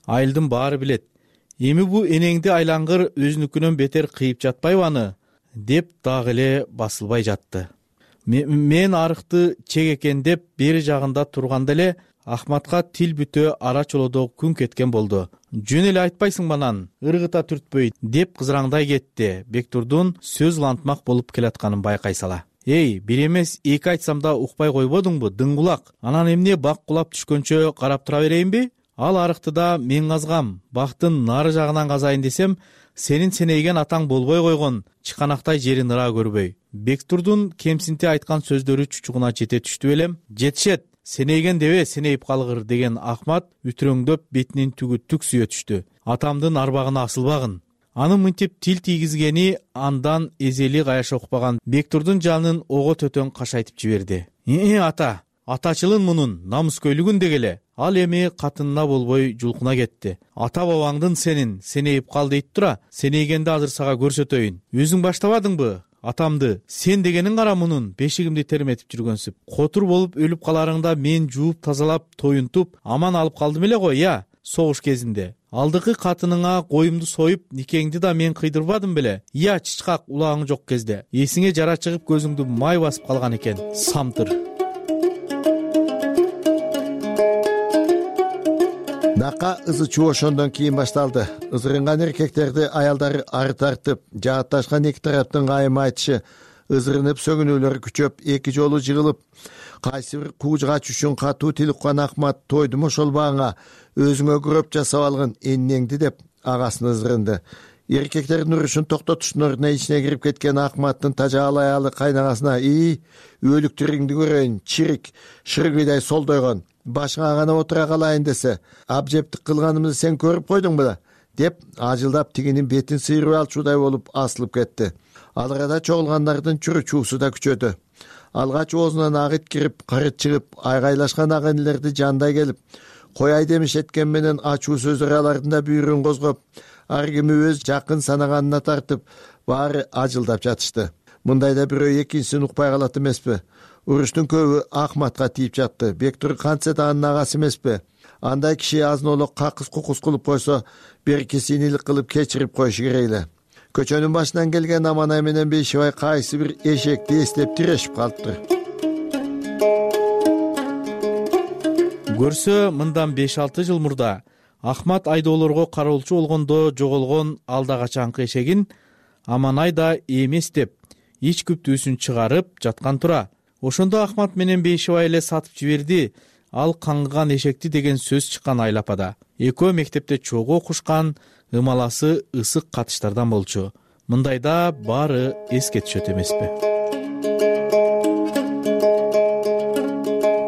Айылдын баары билет. Эми бу энеңди айлангыр өзүнүкүнөн бетер кыйып жатпайбы аны? Деп дагы эле басылбай жатты. Мен арыкты чек экен деп бери жагында турганда эле Ахматка тил бүтө ара чолодо күн кеткен болду. Жөн эле айтпайсың банан, ыргыта түртпөй деп кызыраңдай кетти. Бектурдун сөз улантмак болуп келатканын байкай сала. Эй, бир эмес эки айтсам да укпай койбодуңбу, дың кулак? Анан эмне бак кулап түшкөнчө карап тура берейинби? Ал арыктыда мен казгам, бактын нары жагынан казайын десем, сенин сенейген атаң болбой койгон, чыканактай жерин ыра көрбөй. Бектурдун кемсинте айткан сөздөрү чучугуна жете түштү белем. Жетишет, сенейген дебе сенейип калгыр деген Ахмат үтүрөңдөп бетинин түгү түк сүйө түштү. Атамдын арбагына асылбагын. Анын мынтип тил тийгизгени андан эзели каяша укпаган Бектурдун жанын ого төтөн кашайтып жиберди. Э, ата, атачылын мунун намыскөйлүгүн дегеле. Ал эми катынына болбой жулкуна кетти. Ата бабаңдын сенин сенейип кал дейт тура, сенейгенди азыр сага көрсөтөйүн. Өзүң баштабадыңбы? Атамды, сен дегениң кара мунун бешигимди терметип жүргөнсүп. Котур болуп өлүп каларыңда мен жууп тазалап, тоюнтуп, аман алып калдым эле го, я, согуш кезинде. Алдыкы катыныңа коюмду союп, никеңди да мен кыйдырбадым беле? Я, чычкак улагың жок кезде. Эсиңе жара чыгып көзүңдү май басып калган экен. Самтыр. Нака ызы чуу ошондон кийин башталды. Ызырынган эркектерди аялдары ары тартып, жаатташкан эки тараптын кайым айтышы, ызырынып сөгүнүүлөрү күчөп, эки жолу жыгылып, кайсы бир куужгач үчүн катуу тил уккан Ахмат тойдум ошолбагыңа, өзүңө күрөп жасап алгын эннеңди деп агасын ызырынды. Эркектердин урушун токтотуштун ордуна ичине кирип кеткен Ахматтын тажаал аялы кайнагасына: "И, өлүктүрүңдү көрөйүн, чирик, шыргыйдай солдойгон. Башыңа гана отура калайын десе, абжептик кылганымызды сен көрүп койдуң беле?" деп ажылдап тигинин бетин сыйрып алчудай болуп асылып кетти. Ал арада чогулгандардын чүрү чуусу да күчөдү. Алгач оозунан ак ит кирип, кырыт чыгып, айгайлашкан ак инилерди жандай келип, кояй демиш эткен менен ачуу сөздөр алардын да бүйүрүн козгоп, ар кими өз жакын санаганына тартып, баары ажылдап жатышты. Мындайда бирөө экинчисин укпай калат эмеспи? Уруштун көбү Ахматка тийип жатты. Бектур кантсе да анын агасы эмеспи? Андай киши азын-олок какыс кукус кылып койсо, берки синийлик кылып кечирип коюшу керек эле. Көчөнүн башынан келген Аманай менен Бейшибай кайсы бир эшекти эстеп тирешип калыптыр. Көрсө, мындан беш алты жыл мурда Ахмат айдоолорго кароолчу болгондо жоголгон алда качанкы эшегин Аманай да эмес деп ич күптүүсүн чыгарып жаткан тура. Ошондо Ахмат менен Бейшибай эле сатып жиберди, ал каңгыган эшекти деген сөз чыккан Айлапада. Экөө мектепте чогуу окушкан, ымаласы ысык катыштардан болчу. Мындайда баары эске түшөт эмеспи?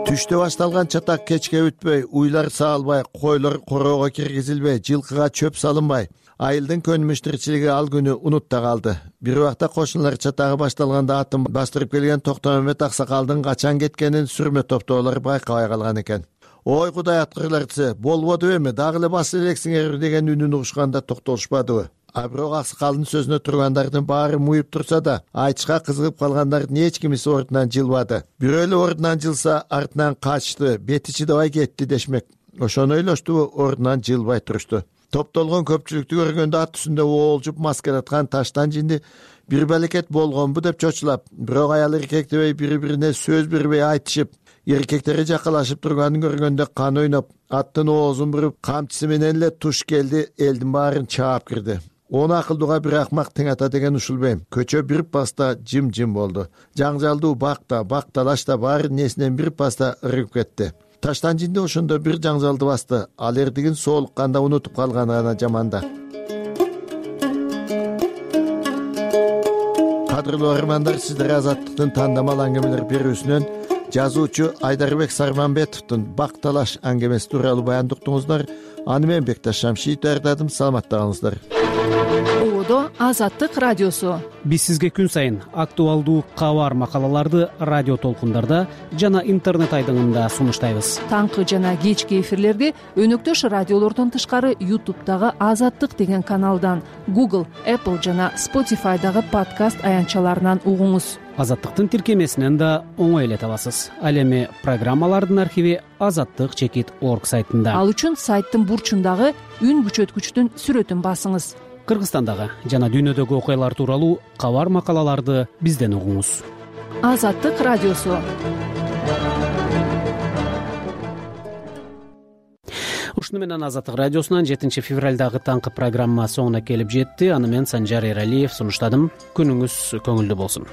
Түштө башталган чатак кечке өтпөй, уйлар саалбай, койлор короого киргизилбей, жылкыга чөп салынбай, айылдын көнүмүш тиричилиги ал күнү унутта калды. Бир убакта кошуналар чатагы башталганда атын бастырып келген Токтомамет аксакалдын качан кеткенин сүрмө топтоолор байкабай калган экен. "Ой кудай аткырлар десе, болбоду эми, дагы эле басып элексиңер" деген үнүн угушканда токтолушпадыбы? А бирок аксакалдын сөзүнө тургандардын баары муюп турса да, айтышка кызыгып калгандардын эч кимиси ордунан жылбады. Бирөө эле ордунан жылса, артынан качты, бети чыдабай кетти дешмек. Ошону ойлоштубу, ордунан жылбай турушту. Топтолгон көпчүлүктү көргөндө ат үстүндө оолжуп маскараткан таштан жинди бир балекет болгонбу деп чочулап, бирок аял эркек дебей бири-бирине сөз бербей айтышып, эркектери жакалашып турганын көргөндө кан ойноп, аттын оозун буруп, камчысы менен эле туш келди, элдин баарын чаап кирди. Он акылдууга бир акмак тең ата деген ушулбейм. Көчө бир паста жым-жым болду. Жаңжалдуу бакта, бакталашта баары несинен бир паста ыргып кетти. Таштан жинди ошондо бир жаңжалды басты. Ал эрдигин соолукканда унутуп калганы гана жаманда. Кадырлуу армандар, сиздер Азаттыктын тандамал аңгемелер берүүсүнөн жазуучу Айдарбек Сарманбетовдун Бакталаш аңгемеси тууралуу баянды уктуңуздар. Аны мен Бекташ Шамшиев даярдадым. Саламатта калыңыздар. Ободо Азаттык радиосу. Биз сизге күн сайын актуалдуу кабар макалаларды радио толкундарда жана интернет айдыңында сунуштайбыз. Таңкы жана кечки эфирлерди өнөктөш радиолордон тышкары YouTube'дагы Азаттык деген каналдан, Google, Apple жана Spotify'дагы подкаст аянтчаларынан угуңуз. Азаттыктын тиркемесинен да оңой эле табасыз. Ал эми программалардын архиви азаттык чекит точка орг сайтында. Ал үчүн сайттын бурчундагы үн күчөткүчтүн сүрөтүн басыңыз. Кыргызстандагы жана дүйнөдөгү окуялар тууралуу кабар макалаларды бизден угуңуз. Азаттык радиосу. ушуну менен Азаттык радиосунан жетинчи февралдагы таңкы программа соңуна келип жетти. Аны мен Санжар Эралиев сунуштадым. Күнүңүз көңүлдүү болсун.